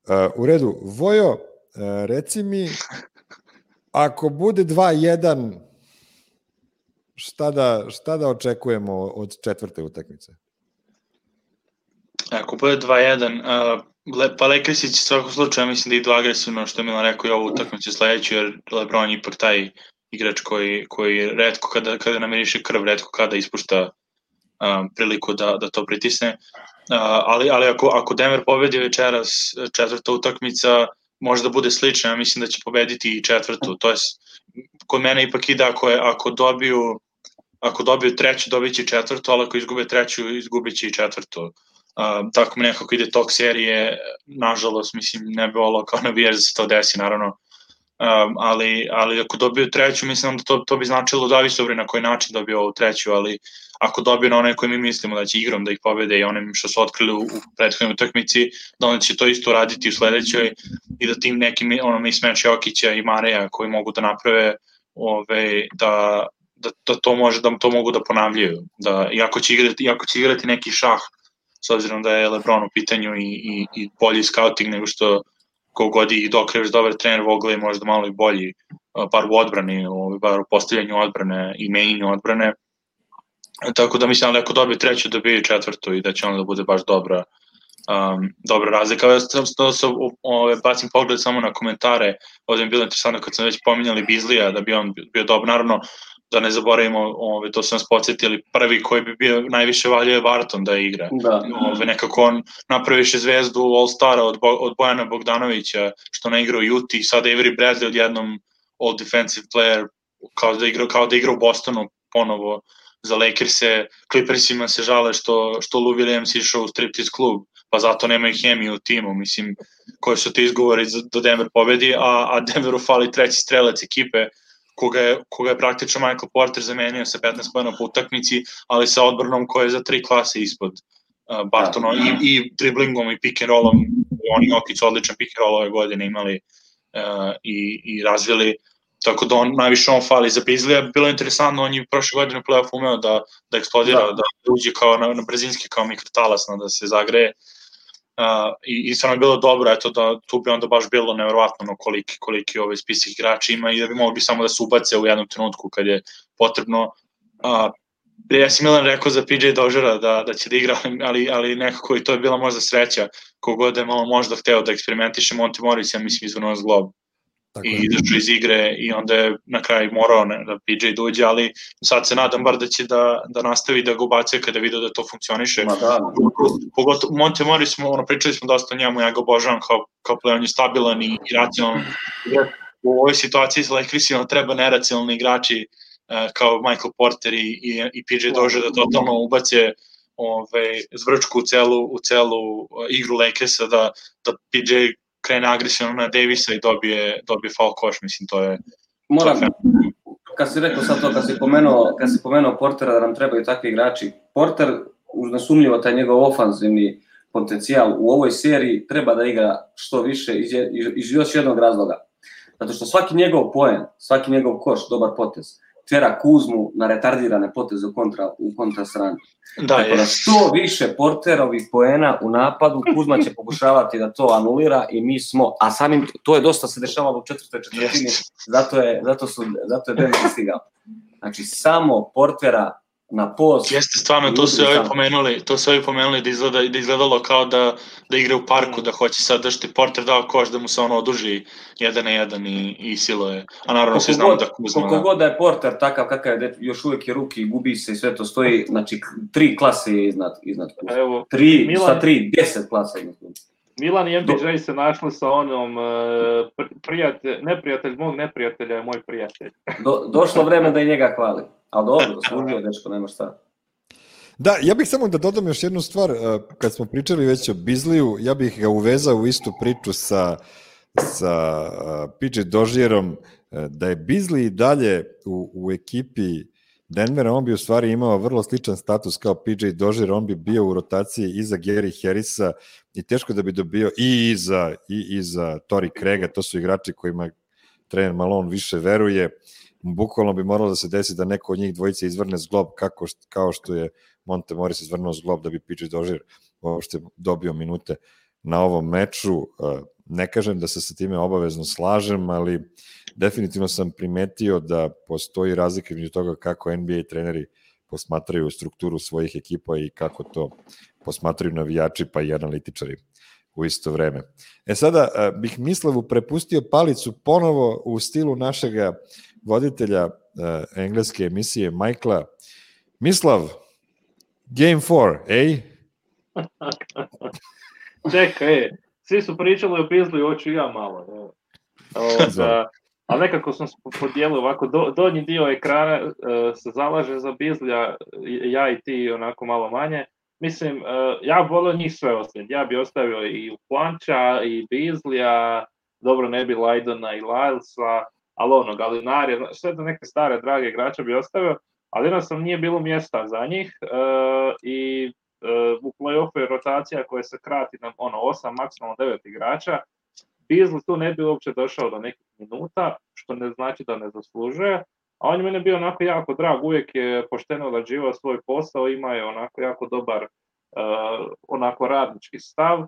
E, u redu, Vojo, e, reci mi, ako bude dva jedan, šta da, šta da očekujemo od četvrte utakmice? Ako bude dva jedan, uh, pa Lakersi će svakog slučaja mislim da idu agresivno, što je Milan rekao, i ovu utakmicu sledeću, jer LeBron je ipak taj igrač koji, koji retko kada, kada namiriše krv, retko kada ispušta um, priliku da, da to pritisne. Uh, ali ali ako, ako Denver pobedi večeras, četvrta utakmica može da bude slična, ja mislim da će pobediti i četvrtu. To je, kod mene ipak ide ako, je, ako dobiju ako dobiju treću, dobit će četvrtu, ali ako izgube treću, izgubit će i četvrtu. Uh, tako mi nekako ide tok serije, nažalost, mislim, ne bi volao kao navijač da se to desi, naravno, um, ali, ali ako dobiju treću, mislim da to, to bi značilo da visovri na koji način dobiju ovu treću, ali ako dobiju na onaj koji mi mislimo da će igrom da ih pobede i onim što su otkrili u, u prethodnoj utakmici, da onda će to isto raditi u sledećoj i da tim nekim ono, mismatch Jokića i Mareja koji mogu da naprave ove, da, da, da, to može, da to mogu da ponavljaju. Da, iako, će igrati, iako će igrati neki šah, s obzirom da je LeBron u pitanju i, i, i bolji scouting nego što kogod i dok je dobar trener Vogel je možda malo i bolji, bar u odbrani, bar u postavljanju odbrane i menjanju odbrane. Tako da mislim da ako dobije treću, dobije četvrtu i da će onda da bude baš dobra, um, dobra razlika. Ja sam da se bacim pogled samo na komentare, ovdje je bilo interesantno kad sam već pominjali Bizlija da bi on bio dobar, naravno da ne zaboravimo, ove, to su nas podsjetili, prvi koji bi bio najviše valjio je Barton da igra. Da. Ove, nekako on napraviše zvezdu All-Stara od, Bo, od Bojana Bogdanovića, što ne igra u Juti, sada Avery Bradley odjednom All Defensive Player, kao da igra, kao da igra u Bostonu ponovo za Lakers-e. Clippersima se žale što, što Lou Williams išao u striptease klub, pa zato nemaju hemiju u timu, mislim, koji su ti izgovori da Denver pobedi, a, a Denveru fali treći strelac ekipe, koga je, koga je praktično Michael Porter zamenio sa petnaest poena po utakmici, ali sa odbranom koja je za tri klase ispod uh, Bartona i, i driblingom i pick and rollom. Oni Jokić odličan pick and roll ove godine imali uh, i, i razvili, tako da on, najviše on fali za Bizlija. Bilo je interesantno, on je prošle godine u play-off umeo da, da eksplodira, da, da uđe kao na, na brzinski, kao mikrotalasno, da se zagreje. Uh, i, i stvarno je bilo dobro, eto da tu bi onda baš bilo nevjerovatno no, koliki, koliki ovaj spisak igrača ima i da bi mogli samo da se ubace u jednom trenutku kad je potrebno. Uh, ja si Milan rekao za P J Doziera da, da će da igra, ali, ali nekako i to je bila možda sreća, kogod je malo možda hteo da eksperimentiše. Monte Morris, ja mislim, izvrnuo zglob i izašao iz igre i onda je na kraju morao ne, da P J dođe, ali sad se nadam bar da će da, da nastavi da ga ubacuje kada vidio da to funkcioniše. Da. Pogotovo Monte Morris, ono, pričali smo dosta o njemu, ja ga obožavam kao, kao play, on je stabilan i, i racionalan. U ovoj situaciji sa Lakersima treba neracionalni igrači uh, kao Michael Porter i, i, i P J Dozier da totalno ubace ove, zvrčku u celu, u celu igru Lakersa, da, da P J krene agresivno na Davisa i dobije, dobije foul koš, mislim, to je... Moram, to je kad si rekao sad to, kad si pomenuo, kad si pomenuo Portera da nam trebaju takvi igrači, Porter, uz nesumnjivo taj njegov ofanzivni potencijal u ovoj seriji treba da igra što više iz, iz još jednog razloga. Zato što svaki njegov poen, svaki njegov koš, dobar potez, tjera Kuzmu na retardirane poteze u kontra, u kontra strani. Da, tako da što više Porterovih poena u napadu, Kuzma će pokušavati da to anulira i mi smo, a samim, to je dosta se dešavalo u četvrtoj četvrtini, zato je, zato su, zato je Denver stigao. Znači, samo Portera na post. Jeste, stvarno, to su ovi pomenuli, to su ovi pomenuli da, izgleda, da izgledalo kao da, da igra u parku, da hoće sad da što je Porter dao koš, da mu se ono oduži jedan na jedan i, i silo je. A naravno se znamo da Kuzma... Koliko god da je Porter takav kakav je, još uvijek je ruki, gubi se i sve to stoji, znači tri klase je iznad, iznad Kuzma. Evo, tri, Milan, sa tri, deset klasa iznad Kuzma. Milan i M P J se našli sa onom prijatelj, neprijatelj mog neprijatelja je moj prijatelj. Do, došlo vreme da i njega hvali. Ali dobro, služio, dečko, nema šta. Da, ja bih samo da dodam još jednu stvar. Kad smo pričali već o Bizliju, ja bih ga uvezao u istu priču sa, sa P J Dozierom, da je Bizli dalje u, u ekipi Denvera, on bi u stvari imao vrlo sličan status kao P J Dozier, on bi bio u rotaciji iza Gary Harrisa i teško da bi dobio i iza, i iza Torrey Craiga, to su igrači kojima trener Malone više veruje. Bukvalno bi moralo da se desi da neko od njih dvojice izvrne zglob kako, kao što je Monte Morris izvrnuo zglob da bi P J Dozier uopšte dobio minute na ovom meču. Ne kažem da se sa time obavezno slažem, ali definitivno sam primetio da postoji razlika između toga kako N B A treneri posmatraju strukturu svojih ekipa i kako to posmatraju navijači pa i analitičari u isto vreme. E sada bih Mislavu prepustio palicu ponovo u stilu našega voditelja uh, engleske emisije Michaela. Mislav, game four, ej? Čekaj, svi su pričali o Pizli, hoću ja malo. Ovoga, ali nekako sam podijelio ovako, do, donji dio ekrana uh, se zalaže za Bizlija, ja i ti onako malo manje. Mislim, uh, ja volio njih sve ostaviti. Ja bi ostavio i Planča, i Bizlija, dobro ne bi Lajdona i Lylesa, ali ono, Galinarija, sve do neke stare, drage igrača bi ostavio, ali jednostavno nije bilo mjesta za njih uh, i uh, u play-offu je rotacija koja se krati na ono, osam, maksimalno devet igrača. Beasley tu ne bi uopće došao do nekih minuta, što ne znači da ne zaslužuje, a on je mene bio onako jako drag, uvijek je pošteno odrađivao svoj posao, ima je onako jako dobar uh, onako radnički stav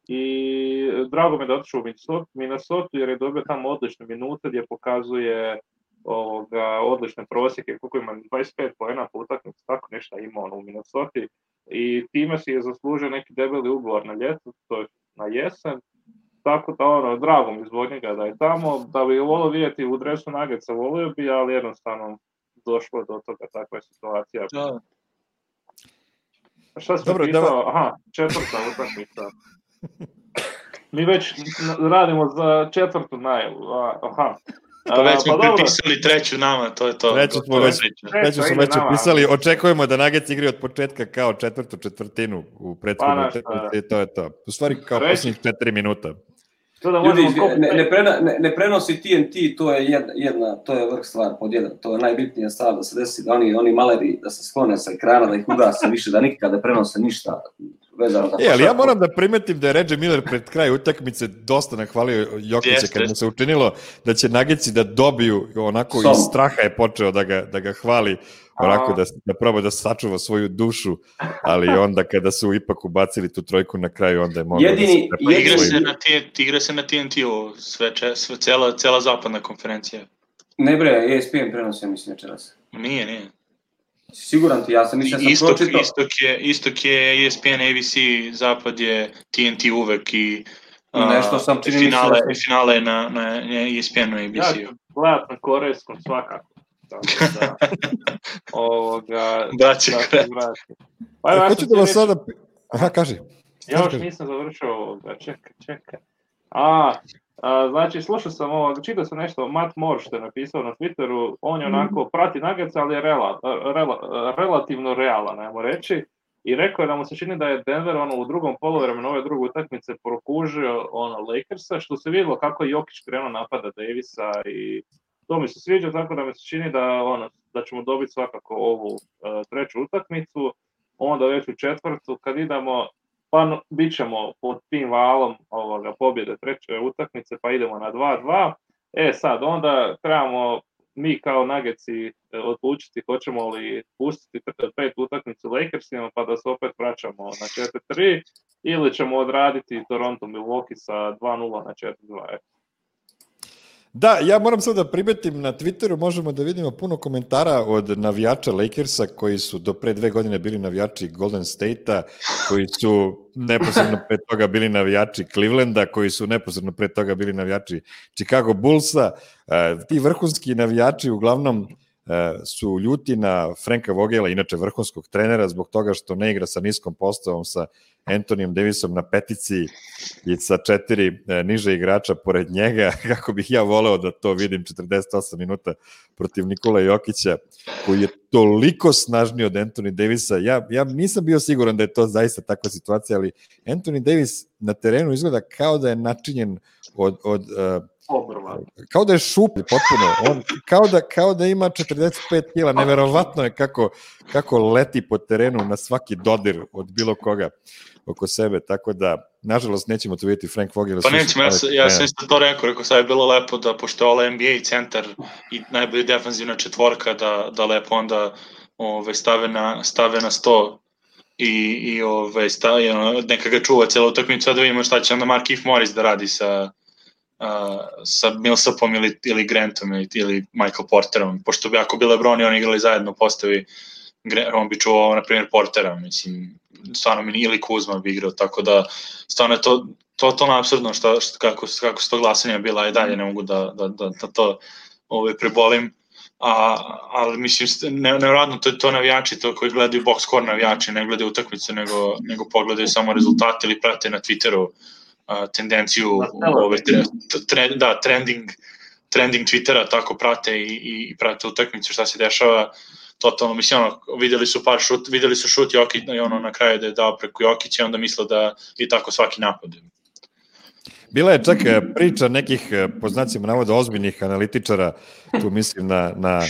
i drago me da otišao u Minnesota jer je dobio tamo odlične minute gdje pokazuje ovoga, odlične prosjeke, koliko ima dvadeset pet poena po utakmici, tako nešto ima on u Minnesota i time si je zaslužio neki debeli ugovor na ljeto, to je na jesen. Tako da ono, drago mi zbog njega da je tamo, da bi volio vidjeti u dresu Nuggetsa, volio bi, ali jednostavno došlo je do toga, takva je situacija. Da. Šta si Dobro, pitao? Da... Aha, četvrta utakmica. Mi već radimo za četvrtu najavu, aha. Pa već smo pa prepisali treću nama, to je to. Treću smo već, treću smo već upisali, očekujemo da Nuggets igraju od početka kao četvrtu četvrtinu u prethodnoj utakmici, to je to. U stvari kao posljednjih četiri minuta. Ljudi, ne, ne, prena, ne, ne prenosi T N T, to je jedna, jedna, to je vrh stvar pod jedan, to je najbitnija stvar da se desi, da oni, oni maleri da se sklone sa ekrana, da ih ugase više, da nikada ne prenose ništa vezano za... E, ali ja moram da primetim da je Reggie Miller pred kraj utakmice dosta nahvalio Jokića kad mu se učinilo da će Nuggetsi da dobiju, onako Som. iz straha je počeo da ga, da ga hvali, onako da, da proba da sačuva svoju dušu, ali onda kada su ipak ubacili tu trojku na kraju, onda je mogao jedini, da se... Igra se, na T N T, igra se na T N T-u, sve, sve, cela, cela zapadna konferencija. Ne bre, E S P N prenosi, ja mislim, večeras. Nije, nije. Siguran ti, ja sam mislim da sam istok, pročitao. Istok je, istok je E S P N, A B C, zapad je T N T uvek i uh, nešto sam čini finale, sam... finale na, na E S P N-u i A B C-u. Ja gledat na korejskom svakako. Da, ovoga... Da će kreti. Pa, ja hoću da vas sada... Aha, kaži. Ja još nisam završio ovoga, čekaj, čekaj. A, a, znači, slušao sam ovo, čitao sam nešto, Matt Moore što je napisao na Twitteru, on je onako, prati Nuggets, ali je rela, rela, relativno realan, ajmo reći, i rekao je da mu se čini da je Denver ono, u drugom poluvremenu ove druge utakmice prokužio ono, Lakersa, što se vidjelo kako je Jokić krenuo napada Davisa i to mi se sviđa, tako da mi se čini da, ono, da ćemo dobiti svakako ovu uh, treću utakmicu, onda već u četvrtu, kad idemo, pa no, bit ćemo pod tim valom ovoga, pobjede treće utakmice, pa idemo na dva dva. E sad, onda trebamo mi kao Nuggetsi odlučiti hoćemo li pustiti pet utakmicu Lakersima, pa da se opet vraćamo na četiri tri, ili ćemo odraditi Toronto Milwaukee sa dva nula na četiri dva. Da, ja moram sad da primetim, na Twitteru možemo da vidimo puno komentara od navijača Lakersa koji su do pre dve godine bili navijači Golden State-a, koji su neposredno pre toga bili navijači Clevelanda, koji su neposredno pre toga bili navijači Chicago Bullsa. Ti vrhunski navijači uglavnom su ljuti na Franka Vogela, inače vrhunskog trenera, zbog toga što ne igra sa niskom postavom, sa Anthonyom Davisom na petici i sa četiri niže igrača pored njega, kako bih ja voleo da to vidim četrdeset osam minuta protiv Nikola Jokića, koji je toliko snažniji od Anthony Davisa. Ja, ja nisam bio siguran da je to zaista takva situacija, ali Anthony Davis na terenu izgleda kao da je načinjen od... od uh, kao da je šuplji potpuno, on kao da, kao da ima četrdeset pet kila, neverovatno je kako, kako leti po terenu na svaki dodir od bilo koga oko sebe, tako da nažalost nećemo to vidjeti Frank Vogel. Pa nećemo, ja, ja sam isto to rekao, rekao sad je bilo lepo da pošto je ovo N B A centar i najbolji defanzivna četvorka da, da lepo onda ove, stave, na, stave na sto i, i ove, sta, i ono, neka ga čuva cijelu utakmicu, a da vidimo šta će onda Markieff Morris da radi sa, uh, sa Millsapom ili, ili Grantom ili, ili Michael Porterom, pošto bi ako bi LeBron i oni igrali zajedno postavi, on bi čuvao, na primjer, Portera, mislim, stvarno mi ili Kuzma bi igrao, tako da stvarno je to to to apsurdno što, što kako kako su to glasanja bila i dalje ne mogu da da da, da to ove prebolim. A ali mislim ne nevjerojatno to to navijači to koji gledaju box score navijači ne gledaju utakmicu nego nego pogledaju samo rezultate ili prate na Twitteru a, tendenciju ove tre, tre, da trending trending Twittera tako prate i i, i prate utakmicu šta se dešava. Totalno, mislim, ono, vidjeli su par šut, vidjeli su šut Jokić, ono, na kraju da je dao preko Jokića, onda misle da je tako svaki napad. Bila je čak priča nekih, po znacima navoda, ozbiljnih analitičara, tu mislim na, na,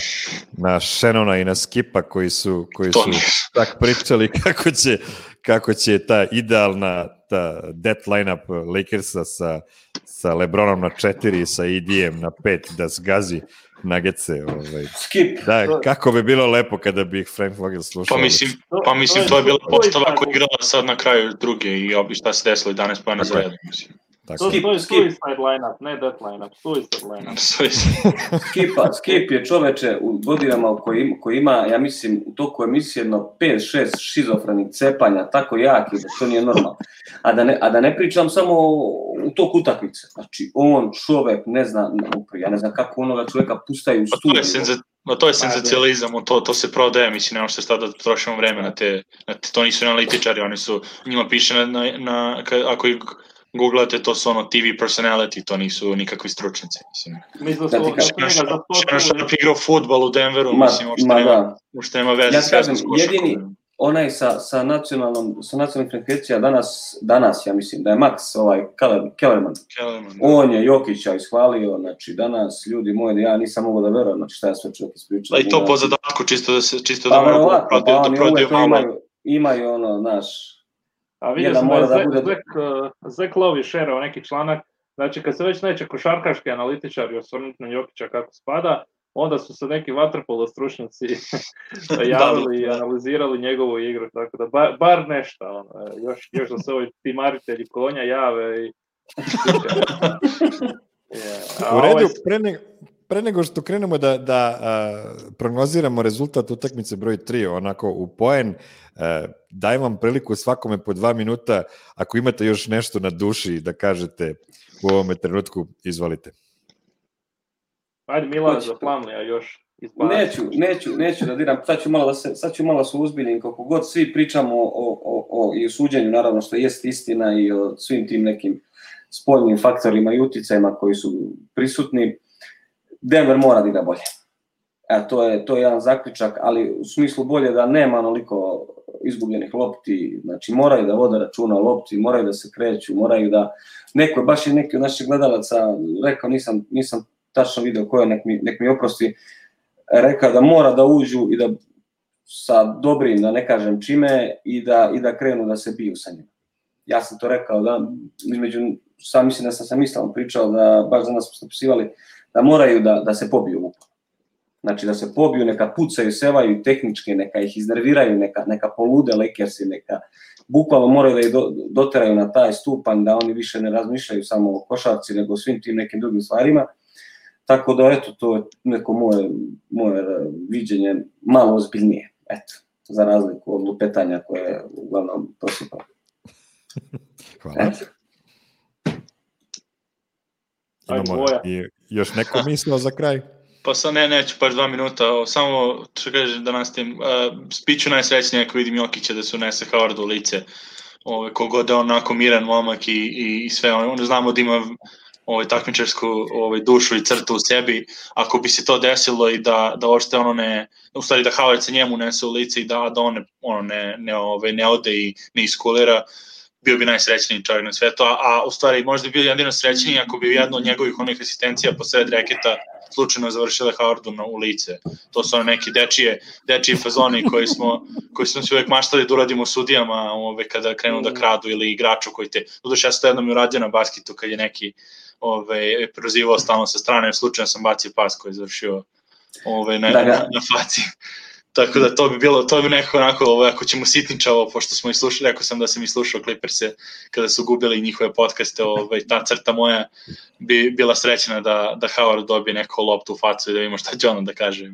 na Shannona i na Skipa, koji su, koji su tak pričali kako će, kako će ta idealna ta death lineup Lakersa sa, sa LeBronom na četiri i sa E D-em na pet da zgazi Nuggetse, ovaj. Skip. Da, kako bi bilo lepo kada bi ih Frank Vogel slušao. Pa mislim, pa mislim to je bila postava koja igrala sad na kraju druge i obi šta se desilo jedanaest poena za redom, mislim. To, to je suicide lineup, ne death lineup, suicide lineup. Skipa, Skip je čoveče u godinama u koji, koji ima, ja mislim, u toku emisije jedno pet šest šizofrenih cepanja, tako jaki da to nije normalno. A da ne, a da ne pričam samo u toku utakmice. Znači, on čovek ne zna, ja ne znam kako onoga čoveka pustaju u studiju. No to je senzacionalizam, to to se prodaje, mislim, nema što šta da trošimo vreme na te, na te, to nisu analitičari, oni su, njima piše na, na, na ako ih googlate, to su ono T V personality, to nisu nikakvi stručnjaci, mislim. Mislim da su Šano Sharp igrao fudbal u Denveru, ma, mislim, uopšte nema, uopšte nema veze. Ja kažem, jedini, onaj sa, sa nacionalnom, sa nacionalnim frekvencija danas, danas, ja mislim, da je Max, ovaj, Kellerman, Kellerman on je Jokića ishvalio, znači, danas, ljudi moji, ja nisam mogao da verujem, znači, šta je sve čovjek ispričao. Pa i to po zadatku, čisto da se, čisto pa, da mogu da prodaju, da prodaju malo. Imaju, imaju ono, naš, a vidio sam da je Zek, bude... Zek, Zek Lovi šerao neki članak, znači kad se već neće košarkaški analitičari osvrnuti na Jokića kako spada, onda su se neki vaterpolo stručnjaci javili i analizirali njegovu igru, tako da bar, bar nešto, ono, još, još da se ovi timaritelji konja jave i... yeah. U redu, pre, ne, pre nego što krenemo da, da a, prognoziramo rezultat utakmice broj tri, onako u poen, a, dajem vam priliku svakome po dva minuta, ako imate još nešto na duši da kažete u ovome trenutku, izvolite. Ajde Milan za Plamlija još izbaviti. Neću, neću, neću da diram, sad ću malo da se, sad ću malo se uzbiljim, kako god svi pričamo o, o, o, i o suđenju, naravno što jest istina i o svim tim nekim spoljnim faktorima i uticajima koji su prisutni, Denver mora da igra bolje. E, to je, to je jedan zaključak, ali u smislu bolje da nema onoliko izgubljenih lopti, znači moraju da vode računa o lopti, moraju da se kreću, moraju da, neko je, baš je neki od naših gledalaca rekao, nisam, nisam tačno video ko je, nek mi, nek mi oprosti, rekao da mora da uđu i da sa dobrim, da ne kažem čime, i da, i da krenu da se biju sa njima. Ja sam to rekao, da, između, sam mislim da sam sam islam pričao, da baš za nas smo napisivali, da moraju da, da se pobiju upo. Znači da se pobiju, neka pucaju, sevaju tehničke, neka ih iznerviraju, neka, neka polude Lakersi, neka bukvalno moraju da ih do, doteraju na taj stupanj, da oni više ne razmišljaju samo o košarci, nego o svim tim nekim drugim stvarima. Tako da, eto, to je neko moje, moje viđenje malo ozbiljnije, eto, za razliku od lupetanja koje je uglavnom prosipao. Hvala. Eto. Imamo i još neko mislio za kraj? Pa sad ne, neću, paš dva minuta, samo što kažem da nastavim, uh, biću najsrećniji ako vidim Jokića da se unese Howardu u lice, ove, kogod je onako miran momak i, i, i sve, on, znamo da ima ovaj takmičarsku ovaj dušu i crtu u sebi, ako bi se to desilo i da da uopšte ono ne, u stvari da Howard se njemu nese u lice i da da on ne, ono ne ne ovaj ne ode i ne iskulira, bio bi najsrećniji čovjek na svetu, a, a u stvari možda bi bio jedino srećniji ako bi jedno od njegovih onih asistencija posred reketa slučajno završile Howardu na u lice. To su one neki dečije, dečiji fazoni koji smo koji smo se uvek maštali da uradimo sudijama, ove kada krenu da kradu ili igraču koji te. Doduše ja sam to jednom uradio na basketu kad je neki ove prozivao stalno sa strane, slučajno sam bacio pas koji je završio ove na, na, na faci. Tako da to bi bilo, to bi nekako onako, ovo, ako ćemo sitničavo, pošto smo i slušali, rekao sam da sam i slušao Clippers-e kada su gubili njihove podcaste, ovaj, ta crta moja bi bila srećena da, da Howard dobije neko loptu u facu i da vidimo šta će ono da kaže.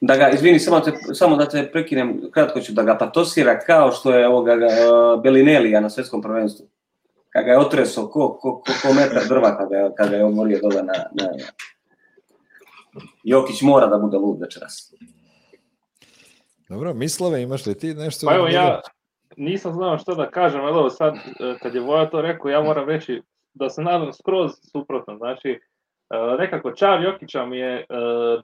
Da ga, izvini, samo, te, samo da te prekinem, kratko ću da ga patosira kao što je ovoga uh, Bellinellija na svetskom prvenstvu. Kad ga je otresao ko, ko, ko, ko metar drva kada je, kada je omorio dole na, na... Jokić mora da bude lud večeras. Dobro, Mislave, imaš li ti nešto? Pa evo, ja nisam znao što da kažem, ali evo sad, kad je Voja to rekao, ja moram reći da se nadam skroz suprotno. Znači, nekako čar Jokića mi je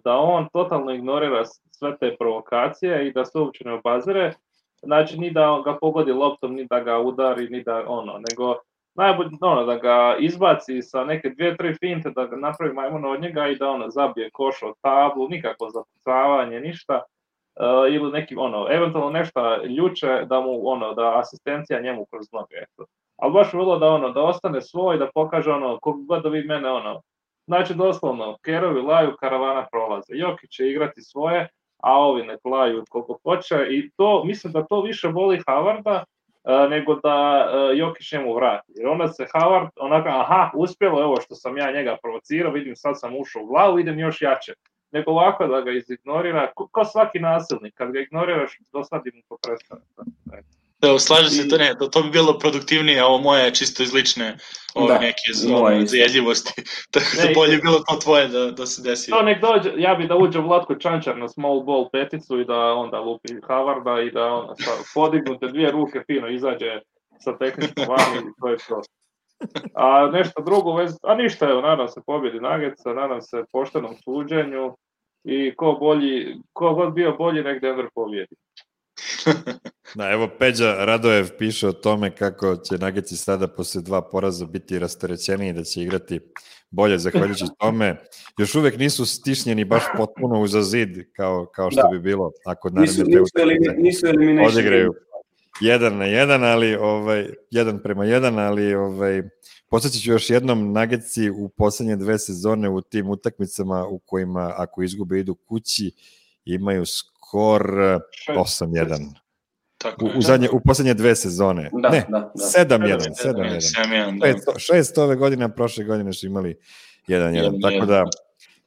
da on totalno ignorira sve te provokacije i da se uopće ne obazire. Znači, ni da ga pogodi loptom, ni da ga udari, ni da ono, nego najbolje ono, da ga izbaci sa neke dvije, tri finte, da ga napravi majmuna od njega i da ono zabije koš od tablu, nikako zapucavanje, ništa. Uh, ili neki, ono, eventualno nešto ljuče da mu, ono, da asistencija njemu kroz noge, eto. Ali baš bilo da, ono, da ostane svoj, da pokaže, ono, kako god da vi mene, ono, znači, doslovno, kerovi laju, karavana prolaze. Jokić će igrati svoje, a ovi nek laju koliko hoće i to, mislim da to više boli Howarda uh, nego da uh, Jokić njemu vrati. Jer onda se Howard, onaka, aha, uspjelo je ovo što sam ja njega provocirao, vidim sad sam ušao u glavu, idem još jače. Nego ovako da ga izignorira, kao svaki nasilnik, kad ga ignoriraš, dosadi mu to prestane. Da, slažem se, to ne, to, to bi bilo produktivnije, a ovo moje je čisto iz lične ove neke zajedljivosti, tako da bolje bilo to tvoje da, da se desi. To nek dođe, ja bi da uđe Vlatko Čančar na small ball peticu i da onda lupi Howarda i da onda podignute dvije ruke fino izađe sa tehničkom vami i to je to. A nešto drugo, vez, a ništa, evo, nadam se pobjedi Nuggetsa, nadam se poštenom suđenju i ko bolji, ko god bio bolji, nek Denver pobjedi. Da, evo Peđa Radojev piše o tome kako će Nuggetsi sada posle dva poraza biti rasterećeni i da će igrati bolje zahvaljujući tome. Još uvek nisu stišnjeni baš potpuno uza zid kao, kao što da. bi bilo ako naredne te utakmice odigraju jedan na jedan, ali ovaj, jedan prema jedan, ali ovaj, posjećat ću još jednom, Nuggetsi u poslednje dve sezone u tim utakmicama u kojima ako izgube idu kući imaju skor osam jedan. U, u, zadnje, u poslednje dve sezone. Da, ne, da, da. sedam jedan. šest ove godine, a prošle godine su imali jedan jedan. Tako da,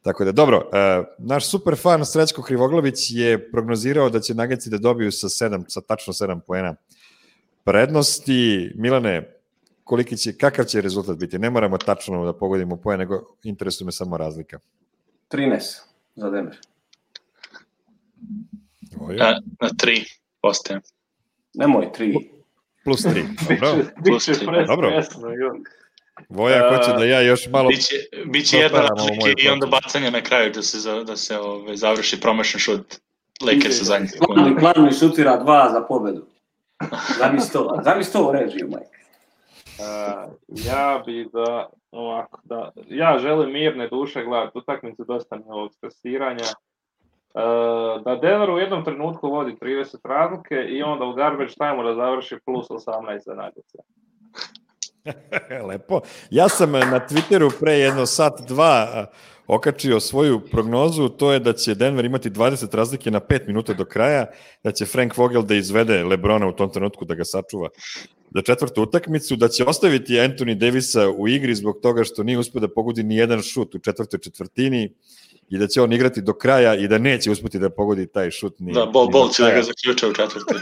tako da, dobro, uh, naš super fan Srećko Krivoglavić je prognozirao da će Nuggetsi da dobiju sa sedam, sa tačno sedam poena prednosti. Milane, koliki će, kakav će rezultat biti? Ne moramo tačno da pogodimo poen, nego interesuje me samo razlika. trinaest za Denver. Na, na tri postajem. Nemoj tri. Plus tri. Dobro. Plus tri. Dobro. Voja hoće da ja još malo... Biće, biće jedna razlike i onda bacanje na kraju da se, za, da se ove, završi promašan šut Lakers u zadnjih sekundu. Glavni šutira dva za pobedu. Zamisli to, zamisli to u režiju, Mike. Uh, ja bi da, ovako, da, ja želim mirne duše gledati utakmicu, dosta mi ovog stresiranja. Uh, da Denver u jednom trenutku vodi trideset razlike i onda u garbage time-u da završi plus osamnaest za Nuggetsa. Lepo. Ja sam na Twitteru pre jedno sat, dva okačio svoju prognozu, to je da će Denver imati dvadeset razlike na pet minuta do kraja, da će Frank Vogel da izvede LeBrona u tom trenutku da ga sačuva za četvrtu utakmicu, da će ostaviti Anthony Davisa u igri zbog toga što nije uspio da pogodi ni jedan šut u četvrtoj četvrtini i da će on igrati do kraja i da neće uspeti da pogodi taj šut ni. Da, bol, bol će da ga zaključa u četvrtoj.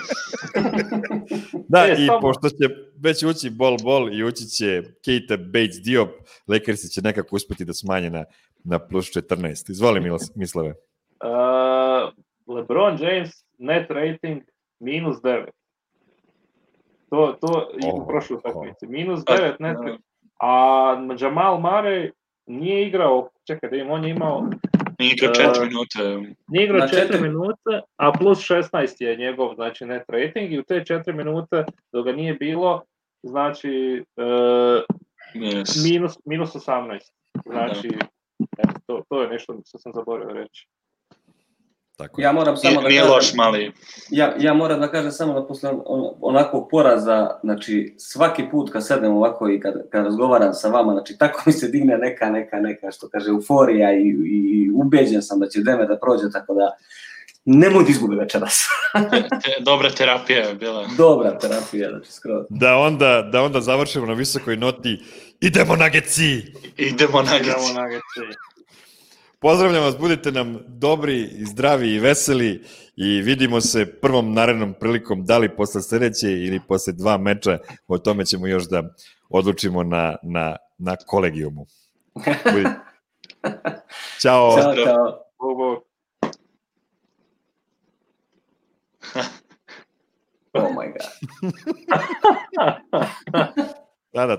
Da, e, i samo... pošto će već ući bol, bol i ući će Keita Bates Diop, Lakersi će nekako uspeti da smanje na, na plus četrnaest. Izvoli, Mislave. Uh, LeBron James net rating minus devet. To, to i u prošloj utakmici. Minus devet net rating. A Jamal Murray nije igrao, čekaj da im, on je imao... Nije igrao četiri minute. Nije igrao četiri minute, a plus šesnaest je njegov, znači, net rating i u te četiri minute dok ga nije bilo, znači, uh, yes. minus, minus osamnaest. Znači, eto, to, to je nešto što sam zaboravio reći. Tako ja moram samo nije, da nije kažem, loš mali. Ja, ja moram da kažem samo da posle on, onakvog poraza, znači svaki put kad sedem ovako i kad, kad razgovaram sa vama, znači tako mi se digne neka, neka, neka, što kaže, euforija i, i ubeđen sam da će Denver da prođe, tako da nemoj da izgubi večeras. te, te, dobra terapija je bila. Dobra terapija, znači skroz. Da onda, da onda završimo na visokoj noti. Idemo na Geci! Idemo na Idemo Geci. na Geci. Pozdravljam vas, budite nam dobri i zdravi i veseli i vidimo se prvom narednom prilikom, da li posle sledeće ili posle dva meča, o tome ćemo još da odlučimo na, na, na kolegijumu. Ćao. Ćao, čao. Bog, bog. Oh my god. Da, da,